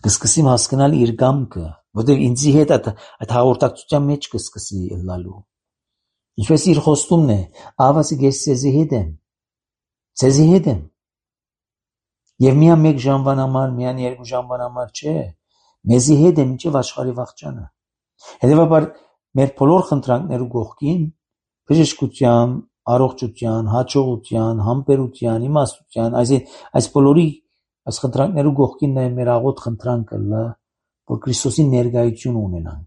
կսկսեմ հասկանալ իր կամքը որտեղ ինձի հետ այդ այդ հաղորդակցության մեջ կսկսի լալու ինչպես իր խոստումն է ավասի ես ցեզի հետ եմ ցեզի հետ եմ եւ միայն մեկ ժամվան համար միայն երկու ժամվան համար չէ մեզի հետ է մինչև աշխարհի վաղճանը հետեւաբար մեր բոլոր խնդրանքներու կողքին բժշկության առողջության հաջողության համբերության իմաստության այս այս բոլորի այս խնդրանքներու կողքին նաև մեր աղոտ խնդրանքը լա որ Քրիստոսի ներկայություն ունենանք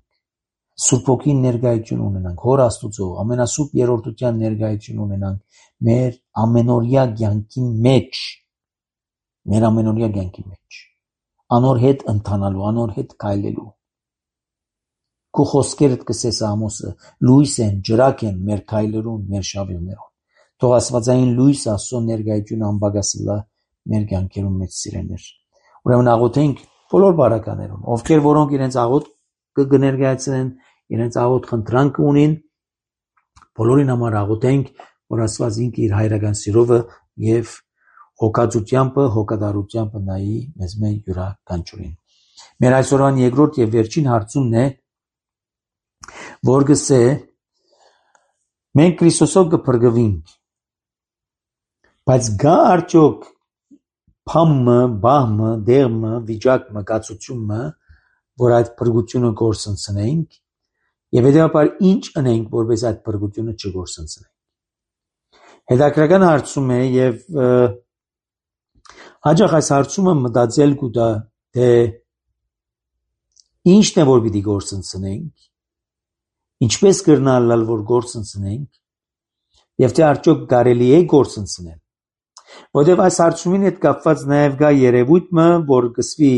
Սուրբ Հոգին ներկայություն ունենանք հոր Աստուծո ամենասուրբ երրորդության ներկայություն ունենանք մեր ամենօրյա կյանքի մեջ մեր ամենօրյա կյանքի մեջ անոր հետ ընթանալու անոր հետ քայլելու քո խոսքերդ կսես Ամոսը լույս են ջրակ են մեր քայլերուն մեր շավիլներուն թող աստվածային լույս Աստծո ներկայություն անբագասլա մեր կյանքերում մեջ սիրեներ ուրեմն աղոթենք բոլոր բարականերուն ովքեր որոնք իրենց աղոթ կներկայացնեն իրենց աղոթ խնդրանք ունին բոլորին համար աղոթենք որ Աստված ինքը իր հայրական սիրովը եւ հոգացությամբ հոգատարությամբ նայի մեզ մեր յուրաքանչյուրին մեր այսօրվան երկրորդ եւ վերջին հարցումն է որ գսե մենք Քրիստոսով կփրկվենք բայց գա արդյոք փամը բահմը դերմը վիճակը կացությունը որ այդ փրկությունը գործընծնենք եւ հետեւաբար ինչ անենք որպես այդ փրկությունը չգործընծնենք հետաքրական հարցում է եւ հաջող այս հարցումը մտածել կուտա թե ինչն է որ պիտի գործընծնենք ինչպես կրնալալ որ գործընծնենք եւ թե արդյոք կարելի է գործընծնել որովհետեւ այս հարցումին հետ կապված նաեւ կա երևույթը որ գսվի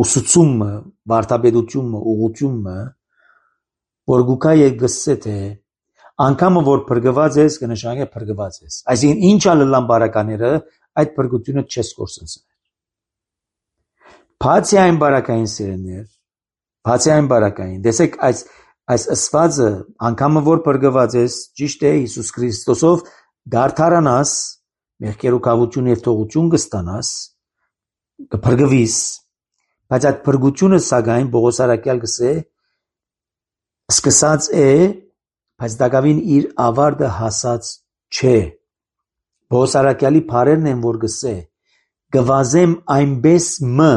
ուսուցումը վարդապետությունը ուղղությունը որ գուկա է գսե թե անկամը որ փրկված ես կնշանակի փրկված ես այսինքն ինչ ալլան բարակաները այդ փրկությունը չես գործընծնել բացի այն բարակային սերներ բացի այն բարակային դեսեք այս այս ասվածը անկամը որ փրկված ես ճիշտ է Հիսուս Քրիստոսով դարթարանաս մեղքերուկավություն եւ թողություն կստանաս կփրկվիս բայց այդ փրկությունը սակայն Պողոս առաքյալ գսե սկսած է բայց դակավին իր ավարտը հասած չէ Պողոս առաքյալի բառերն են որ գսե գվազեմ այնպես մը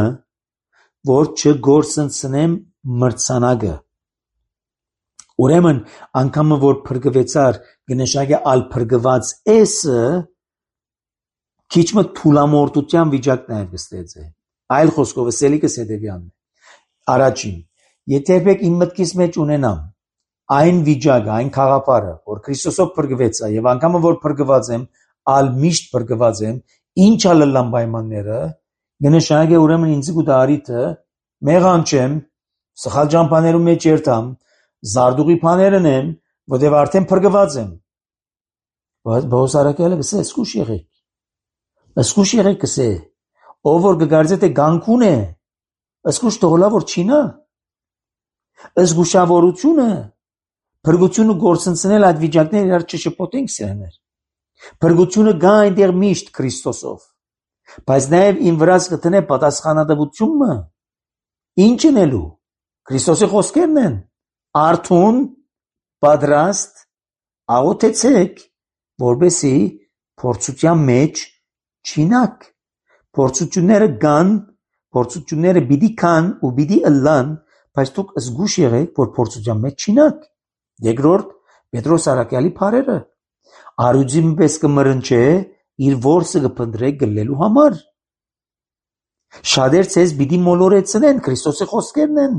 որ չգործընծնեմ մրցանակը ուրեմն անկամը որ փրկվեցար կնշանակի ալ փրկված էսը քիչ մը թուլամորտության վիճակն է գստեցե այլ խոսքով սելիկս հետեւյալն է առաջին եթե եք իմ մտքիս մեջ ունենամ այն վիճակը այն խաղապարը որ Քրիստոսով փրկվեցա եւ անկամը որ փրկված եմ ալ միշտ բրգված եմ, ինչ ալլան պայմանները, գնշանագե ուրեմն ինձ գուտարիթը, մեղան չեմ, սխալ ճամփաներում մեջ երթամ, զարդուղի բաներն եմ, որտեղ արդեն բրգված եմ։ Բայց Արաքյալը գսե, սկուշ եղեք, սկուշ եղեք գսե, ով որ գգարձե թե գանկուն է, սկուշ թողլա որ չինա, զգուշավորությունը, փրկությունը գործընծնել այդ վիճակները իրար չշփոթենք սրաներ։ Փրկությունը գա այնտեղ միշտ Քրիստոսով, բայց նաև իմ վրաս կտնե պատասխանատվությունը, ինչ ընելու, Քրիստոսի խոսքերն են, արթուն, պատրաստ, աղոթեցեք, որպեսզի փորձության մեջ չինակ, փորձությունները գան, փորձությունները պիտի կան ու պիտի ըլլան, բայց դուք զգուշ եղեք, որ փորձության մեջ չինակ։ Երկրորդ, Պետրոս Արաքյալի բարերը, արուձին պես կմրնչե իր որսը կփնտրե գլելու համար։ Շատեր ցեզ պիտի մոլորեցնեն, Քրիստոսի խոսքերն են։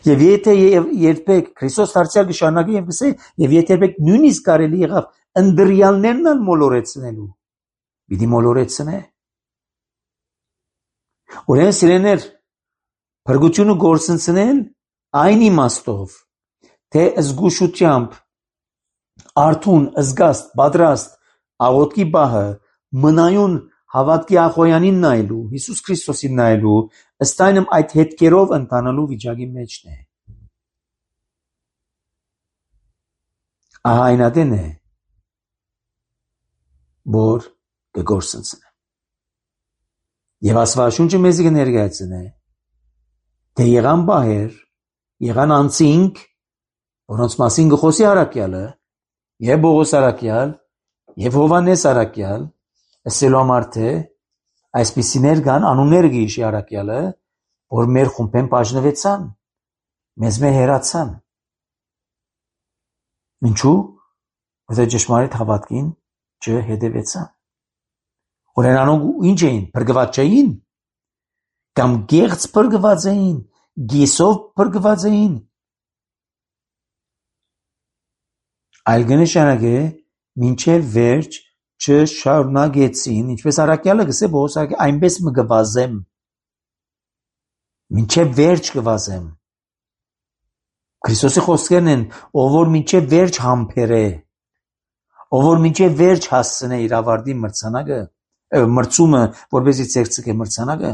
Եվ եթե երբեք Քրիստոս դարձյալ կշարունակի եւ կսե, եւ եթե երբեք նույնիսկ կարելի եղավ ընդրյալներն ալ մոլորեցնելու, պիտի մոլորեցնե։ Ուրեմն սիրեներ, փրկությունը գործընծնել այն իմաստով, թե զգուշությամբ, արթուն, զգաստ, պատրաստ, աղոթքի բահը, մնայուն հավատքի ախոյանին նայելու, Հիսուս Քրիստոսին նայելու, ըստ այնմ այդ հետքերով ընթանալու վիճակի մեջն է։ Ահա այն ադեն է, որ կգործընծնե։ Եվ Աստվածաշունչը մեզ կներկայացնե, թե եղան բահեր, եղան անցինք, որոնց մասին գխոսի Արաքյալը, եւ Բողոս Արաքյալ, եւ Հովանես Արաքյալ, ասելու համար թե այսպիսիներ կան, անունները գիշի Արաքյալը, որ մեր խումբեն բաժնվեցան, մեզ մեր հերացան։ Ինչու՞, որտեղ ճշմարիտ հավատքին չհետևեցան։ Օրենանոք ինչ էին, փրկված չէին, կամ գեղձ փրկված էին, գիսով փրկված էին։ Այլ կնշանակե մինչև վերջ չշարունակեցին, ինչպես Արաքյալը գսե Բողոս Արաքյալը, այնպես մը կվազեմ, մինչև վերջ կվազեմ։ Քրիստոսի խոսքերն են, ով որ մինչև վերջ համբերե, ով որ մինչև վերջ հասցնե իր ավարտի մրցանակը, մրցումը, որպեսզի ցերծկե մրցանակը։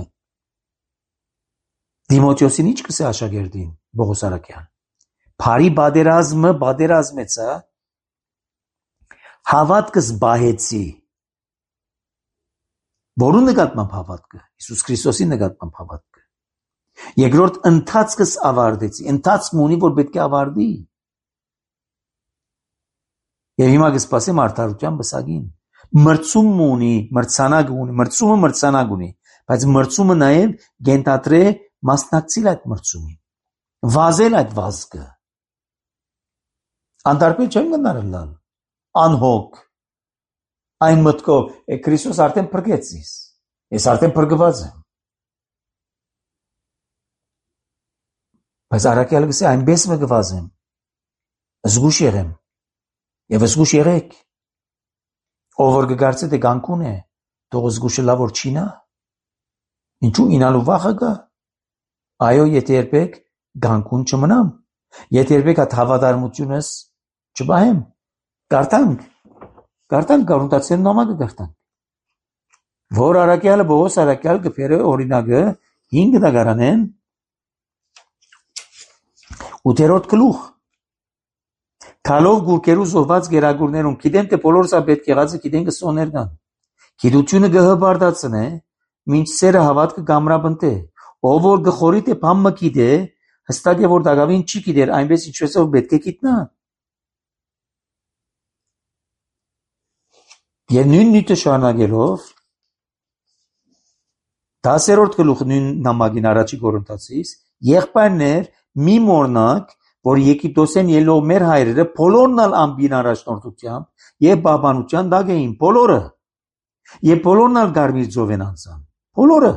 Դիմոթեոսին ինչ կսե աշակերտին Բողոս Արաքյան։ Փարի բادرազմը բادرազմեցա, հավատքս բահեցի։ Որու նկատմամբ հավատքը, Հիսուս Քրիստոսի նկատմամբ հավատքը։ Երկրորդ ընթացքս ավարտեցի, ընթացք ունի, որ պետք է ավարտի։ Եվ հիմա կսպասեմ արդարության բսակին։ Մրցում ունի, մրցանակ ունի, մրցումը մրցանակ ունի, բայց մրցումը նաև գենտատրե մասնակցել այդ մրցումին, վազել այդ վազքը։ Անդարբեր չեմ գնարելալ, անհոգ, այն մտքով, է Քրիստոս արդեն փրկեց ինձ, ես արդեն փրկված եմ։ Բայց Արաքյալը գսե այնպես մը գվազեմ, զգուշ եղեմ, եւ զգուշ եղեք, ով որ կգարցե թե գանկուն է, թող զգուշը լավ որ չինա, ինչու ինալու վախը կա, այո, եթե երբեք գանկուն չմնամ, եթե երբեք այդ հավատարմությունս չբահեմ, կարդանք, կարդանք Գաղտնացիության նամակը կարդանք, որ Արաքյալը Բողոս Արաքյալ կփերը օրինակը հինգ դագարանեն ութերորդ գլուխ Քալով գուրկերու զոհված գերագուրներուն գիտեմ թե բոլորս պետք եղածը գիտեն կսոներ կան գիտությունը գհբարդացնե մինչ սերը հավատքը գամրաբնտե ով որ գխորի թե բամը գիտե հստակ է որ դակավին չի գիտեր այնպես ինչպես որ պետք է գիտնա եւ նույն նույնը շարունակելով դասերորդ գլուխ նույն նամակին առաջի Կորինթացիս եղբայրներ մի մորնակ որ Եգիպտոսեն ելող մեր հայրերը բոլորն ալ ամբին առաջնորդությամբ եւ բաբանության դակ էին բոլորը եւ բոլորն ալ գարմիր ծով են անցան բոլորը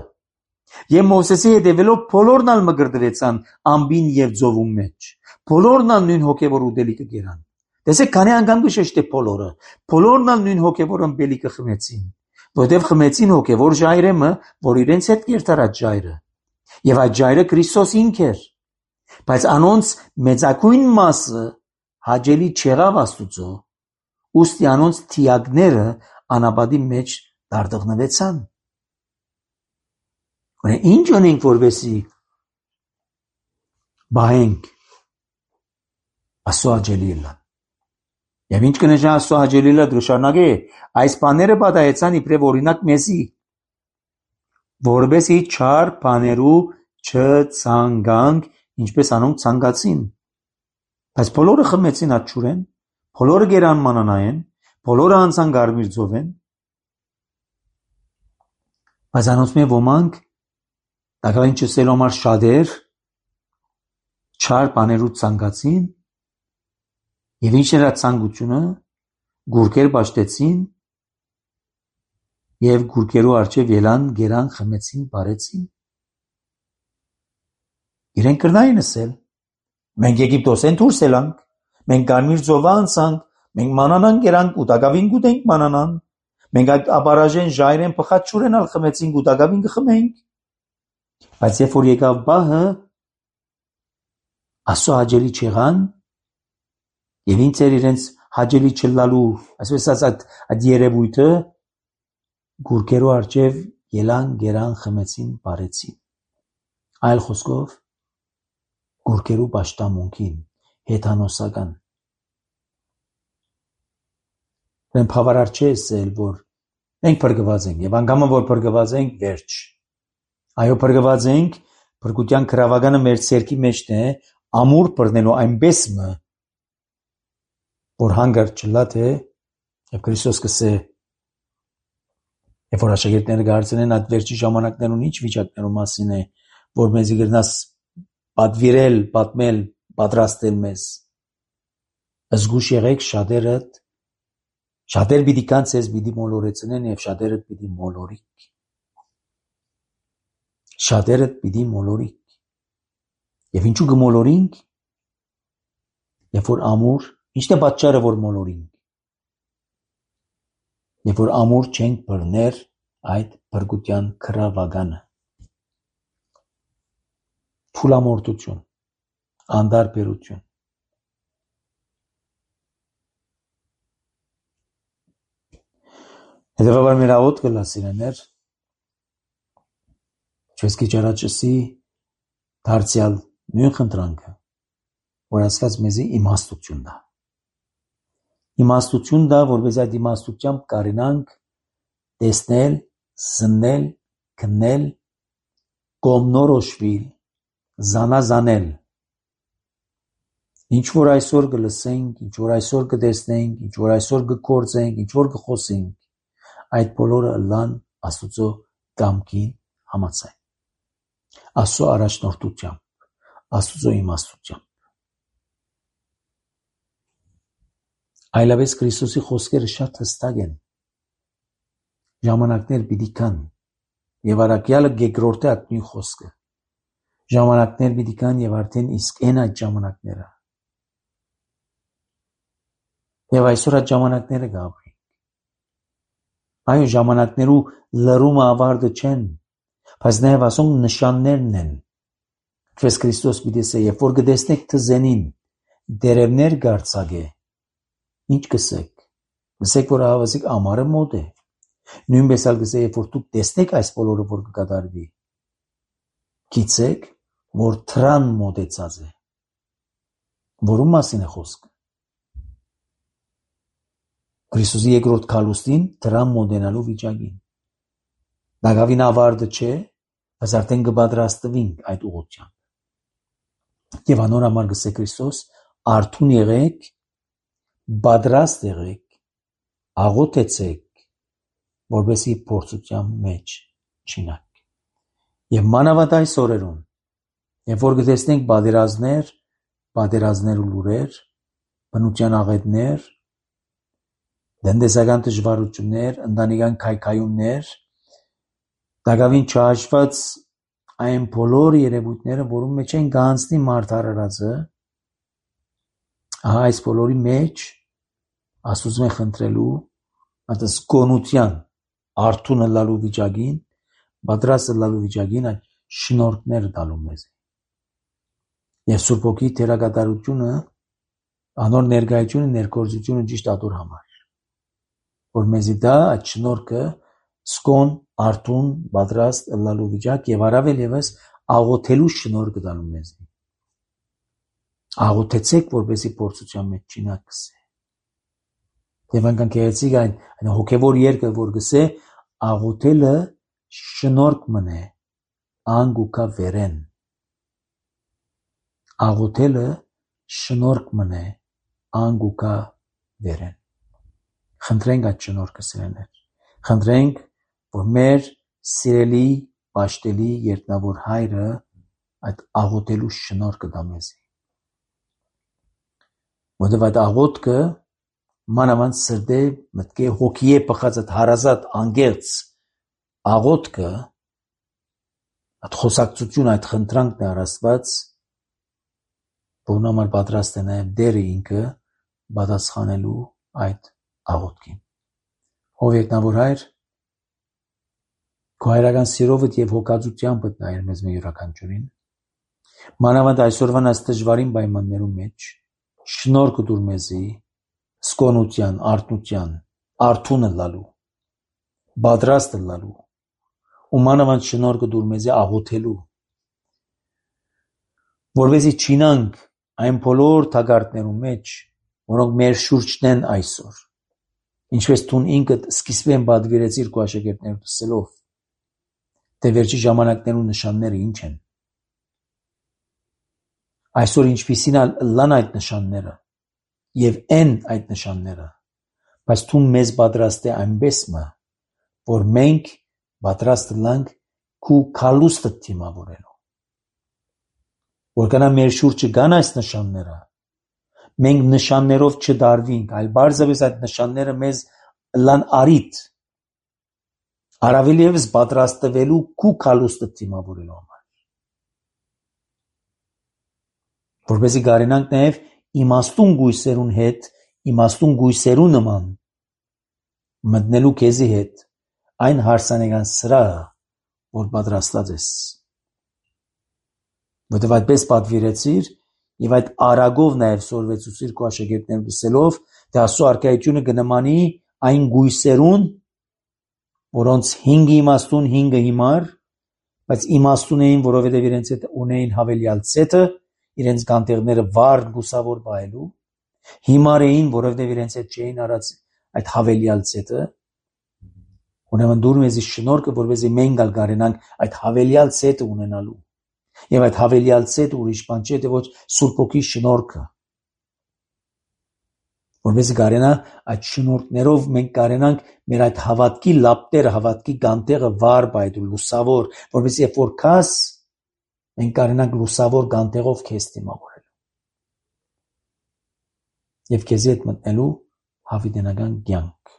եւ Մովսեսի հետևելով բոլորն ալ մգրդվեցան ամբին եւ ծովում մեջ բոլորն ալ նույն հոգեվոր ուտելիքը գերան Տեսեք, քանի անգամ գշեշտե բոլորը, բոլորն ալ նույն հոգևոր ըմբելիքը խմեցին, որտեղ խմեցին հոգևոր ժայրեմը, որ իրենց հետ կերտարած ժայրը, եւ այդ ժայրը Քրիստոս ինք էր, բայց անոնց մեծակույն մասը հաջելի չեղավ Աստուծո, ուստի անոնց թիակները անաբադի մեջ դարդղնվեցան։ Ուրեմն ինչ անենք, որովհետեւ բահենք Աստծո հաճելի լան։ Եվ ինչ կնշանակի Աստծո հաճելի լան, դրշանագե այս բաները պատահեցան իբրև օրինակ մեզի, որովհետեւ չար բաներու չցանգանք, ինչպես անոնք ցանկացին։ Բայց բոլորը խմեցին աչուրեն, բոլորը գերան մանանային, բոլորը անցան գարմիր ծովեն, բայց անոնց մե ոմանք դակավին չսելու համար շատեր չար բաներու ցանկացին, եւ ինչ era ցանկությունը գուրկեր բաշտեցին եւ գուրկերու արջև ելան, գերան, խմեցին, բարեցին։ Իրենք կրնային ասել. մենք Եգիպտոսեն դուրս ելանք, մենք Գարմիր ծովը անցանք, մենք մանանան գերանք ու դակավին գուտենք մանանան, մենք այդ աբարաժեն ժայրեն փխաչուրեն ալ խմեցինք ու դակավին կխմենք։ Բայց երբ որ եկավ բահը, Աստծո հաճելի չեղան, եւ ինչ էր իրենց հաճելի չլալու, այսպես ասած, այդ երևույթը գուրկերու արջև ելան, գերան, խմեցին, բարեցին։ Այլ խոսքով գուրկերու պաշտամունքին, հեթանոսական։ Մենք բավարար չէ ասել, որ մենք փրկված ենք, եւ անգամը որ փրկված ենք, վերջ։ Այո, փրկված ենք, փրկության գրավականը մեր ցերքի մեջն է, ամուր բռնելու այնպես մը, որ հանգարտ չլա թե եւ Քրիստոս կսե, երբ որ աշակերտները գարցնեն այդ վերջի ժամանակներուն ինչ վիճակներու մասին է, որ մեզի գրնաս պատվիրել, պատմել, պատրաստել մեզ։ Զգուշ եղեք, շատերը շատեր պիտի կան ցեզ պիտի մոլորեցնեն եւ շատերը պիտի մոլորիկ։ Շատերը պիտի մոլորիկ։ Եվ ինչու կմոլորինք, երբ որ ամուր, ինչն է պատճառը, որ մոլորինք, երբ որ ամուր չենք բռներ այդ փրկության գրավականը։ Փուլամորտություն, անդարբերություն։ Հետևաբար մեր աղոտ կլասիրեներ, չես քիչ առաջսի դարձյալ նույն խնդրանքը, որ ասված մեզի իմաստություն դա։ Իմաստություն դա, որպես այդ իմաստությամբ կարենանք տեսնել, զննել, քննել, կողմնորոշվել, զանազանել։ Ինչ որ այսօր կլսենք, ինչ որ այսօր կտեսնենք, ինչ որ այսօր կգործենք, ինչ որ կխոսենք, այդ բոլորը լան Աստծո կամքին համաձայն։ Աստծո առաջնորդությամբ, Աստծո իմաստությամբ։ Այլապես Քրիստոսի խոսքերը շատ հստակ են։ Ժամանակներ պիտի կան, եւ առաքյալը գեգրորտե այդ նույն խոսքը։ Ժամանակներ պիտի կան եւ արդեն իսկ են այդ ժամանակները։ Եվ այսօր այդ ժամանակները գաբրի։ Այո, ժամանակներու լրումը ավարտը չեն, բայց նաեւ ասոնք նշաններն են։ Քրիստոս Քրիստոս պիտի ասե, երբ որ կտեսնեք թզենին, դերևներ գարցակե, ինչ կսեք։ Կսեք, որ ահավասիկ ամառը մոտ է։ Նույնպես ալ կսե, երբ որ դուք տեսնեք այս բոլորը, որ կկատարվի, գիտեք, որ թրան մոտեցած է։ Որում մասին է խոսքը։ Քրիստոսի երկրորդ քալուստին դրան մոտենալու վիճակին։ Դակավին ավարտը չէ, բայց արդեն կպատրաստվենք այդ ուղղությամբ։ Եվ անոր համար գսե Քրիստոս, արթուն եղեք, պատրաստ եղեք, աղոթեցեք, որպեսզի փորձության մեջ չինակ։ Եվ մանավանդ այս օրերուն, երբ որ կտեսնենք պատերազմներ, պատերազմներ ու լուրեր, բնության աղետներ, տնտեսական դժվարություններ, ընտանեկան քայքայումներ, դակավին չհաշված այն բոլոր երևույթները, որում մեջ են գանցնի մարդ արարածը, Ահա այս բոլորի մեջ Աստծուց մենք խնդրելու այդ զգոնության արթուն լալու վիճակին, պատրաստ լալու վիճակին այդ շնորհքները տալու մեզ։ Եվ Սուրբ Հոգի թերակատարությունը, անոր ներկայությունը, ներկործությունը ճիշտ ատոր համար, որ մեզի դա այդ շնորհքը սկոն, արթուն, պատրաստ լալու վիճակ եւ առավել եւս աղոթելու շնորհքը տալու մեզ։ Աղոթեցեք, որպեսզի փորձության մեջ չինակսե։ Եվ անգամ կերեցիկ այն, այն հոգևոր երկը, որ գսե աղոթելը շնորհք մնե, անգուկա վերեն։ Աղոթելը շնորհք մնե, անգուկա վերեն։ Խնդրենք այդ շնորհքը սիրելիներ։ Խնդրենք, որ մեր սիրելի պաշտելի երտնավոր հայրը այդ աղոթելու շնորհքը տա մեզ։ Որտեղ այդ աղոթքը մանավանդ սրտե մտքի հոգիե բխած այդ հարազատ անգերց աղոթքը այդ խոսակցություն այդ խնդրանքն է Աստված որն համար պատրաստ է նաև դերը ինքը պատասխանելու այդ աղոթքին։ Ով երկնավոր հայր քո հայրական սիրովդ եւ հոգածությամբ նայր մեզ մեր յուրաքանչյուրին մանավանդ այսօրվան այս դժվարին պայմաններում մեջ շնորհք դուր մեզի սկոնության, արթնության, արթունը լալու, պատրաստը լալու, ու մանավանդ շնորհքը դուր մեզի աղոթելու, որովհետեւ չինանք այն բոլոր թակարդներում մեջ, որոնք մեր շուրջն են այսօր, ինչպես դու ինքդ սկիզբեն պատվիրեցիր քո աշակերտներիդ ասելով, թե վերջի ժամանակներու նշանները ինչ են, այսօր ինչպիսին լան այդ նշանները, եւ են այդ նշանները, բայց դու մեզ պատրաստ է այնպես մը, որ մենք պատրաստ լանք քու քալուստը դիմավորելու, որ կանա մեր շուրջը կան այս նշանները, մենք նշաններով չդարվինք, այլ բարձրապես այդ նշանները մեզ լան արիտ, առավել ևս պատրաստվելու քու քալուստը դիմավորելու համար, որպեսզի կարենանք նաև իմաստուն գույսերուն հետ, իմաստուն գույսերու նման մտնելու քեզի հետ այն հարսանեկան սրահը, որ պատրաստած ես։ Որտեւ այդպես պատվիրեցիր եւ այդ արագով նաև սորվեցուցիր քո աշակերտներուն դսելով, թե Աստծո արքայությունը կնմանի այն գույսերուն, որոնց հինգը իմաստուն, հինգը հիմար, բայց իմաստուն էին, որովհետեւ իրենց հետ ունեին հավելյալ ցետը, իրենց կանտեղները վառ լուսավոր բայելու, հիմար էին, որովհետև իրենց հետ չէին արած այդ հավելյալ ցետը, ուրեմն դուր մեզի շնորհքը, որպեսզի մենք ալ կարենանք այդ հավելյալ ցետը ունենալու, եւ այդ հավելյալ ցետը ուրիշ բան չէ, թե ոչ Սուրբ Հոգի շնորհքը, որպեսզի կարենա այդ շնորհներով մենք կարենանք մեր այդ հավատքի լապտերը, հավատքի գանտեղը վառ բայդու լուսավոր, որպեսզի երբ որ քաս մենք կարենանք լուսավոր գանտեղով քեզ դիմավորել եւ քեզի հետ մտնելու հավիտենական կյանք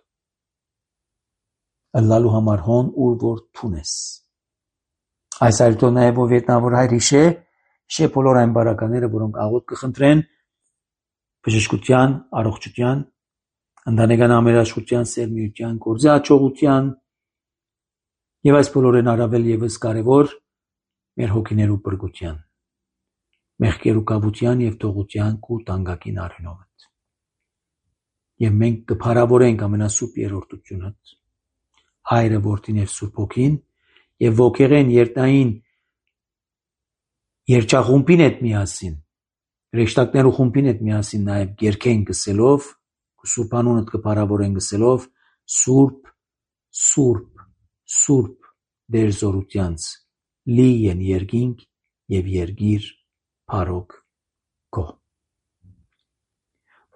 ըլլալու համար հոն ուր որ թունես այս այլտո նաեւ ով ետնավոր հայր հիշե հիշե բոլոր այն բարակաները որոնք աղոթ կխնդրեն բժշկության, առողջության, ընտանեկան ամերաշխության, սերմիության, գործի հաջողության եւ այս բոլորեն առավել եւս կարեւոր մեր հոգիներու բրգության, մեղքերու կավության եւ թողության կու տանգակին արյունով։ Եվ մենք կփարավորենք ամենասուրբ երրորդությունը, Հայրը, Որդին եւ Սուրբ Հոգին, եւ ոգեղեն երտնային երջախումբին հետ միասին, ռեշտակներու խումբին հետ միասին նաեւ գերքեն գսելով, Սուրբ անունդ կփարավորեն գսելով, Սուրբ, Սուրբ, Սուրբ դեր զորությանց լի են երկինք եւ երգիր փարոք քո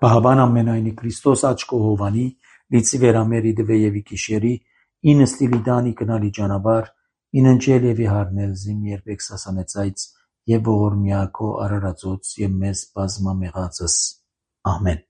Բահավան ամենայնի Քրիստոս աչքո հովանի լիցի վերամերի դվե եւի կիշերի ինը ստիլի դանի կնալի ճանաբար ինընջել եւի հարնել զիմ երբեք սասանեցայց եւ ողորմյակո արարածոց եւ մեզ բազմամեղածս ամեն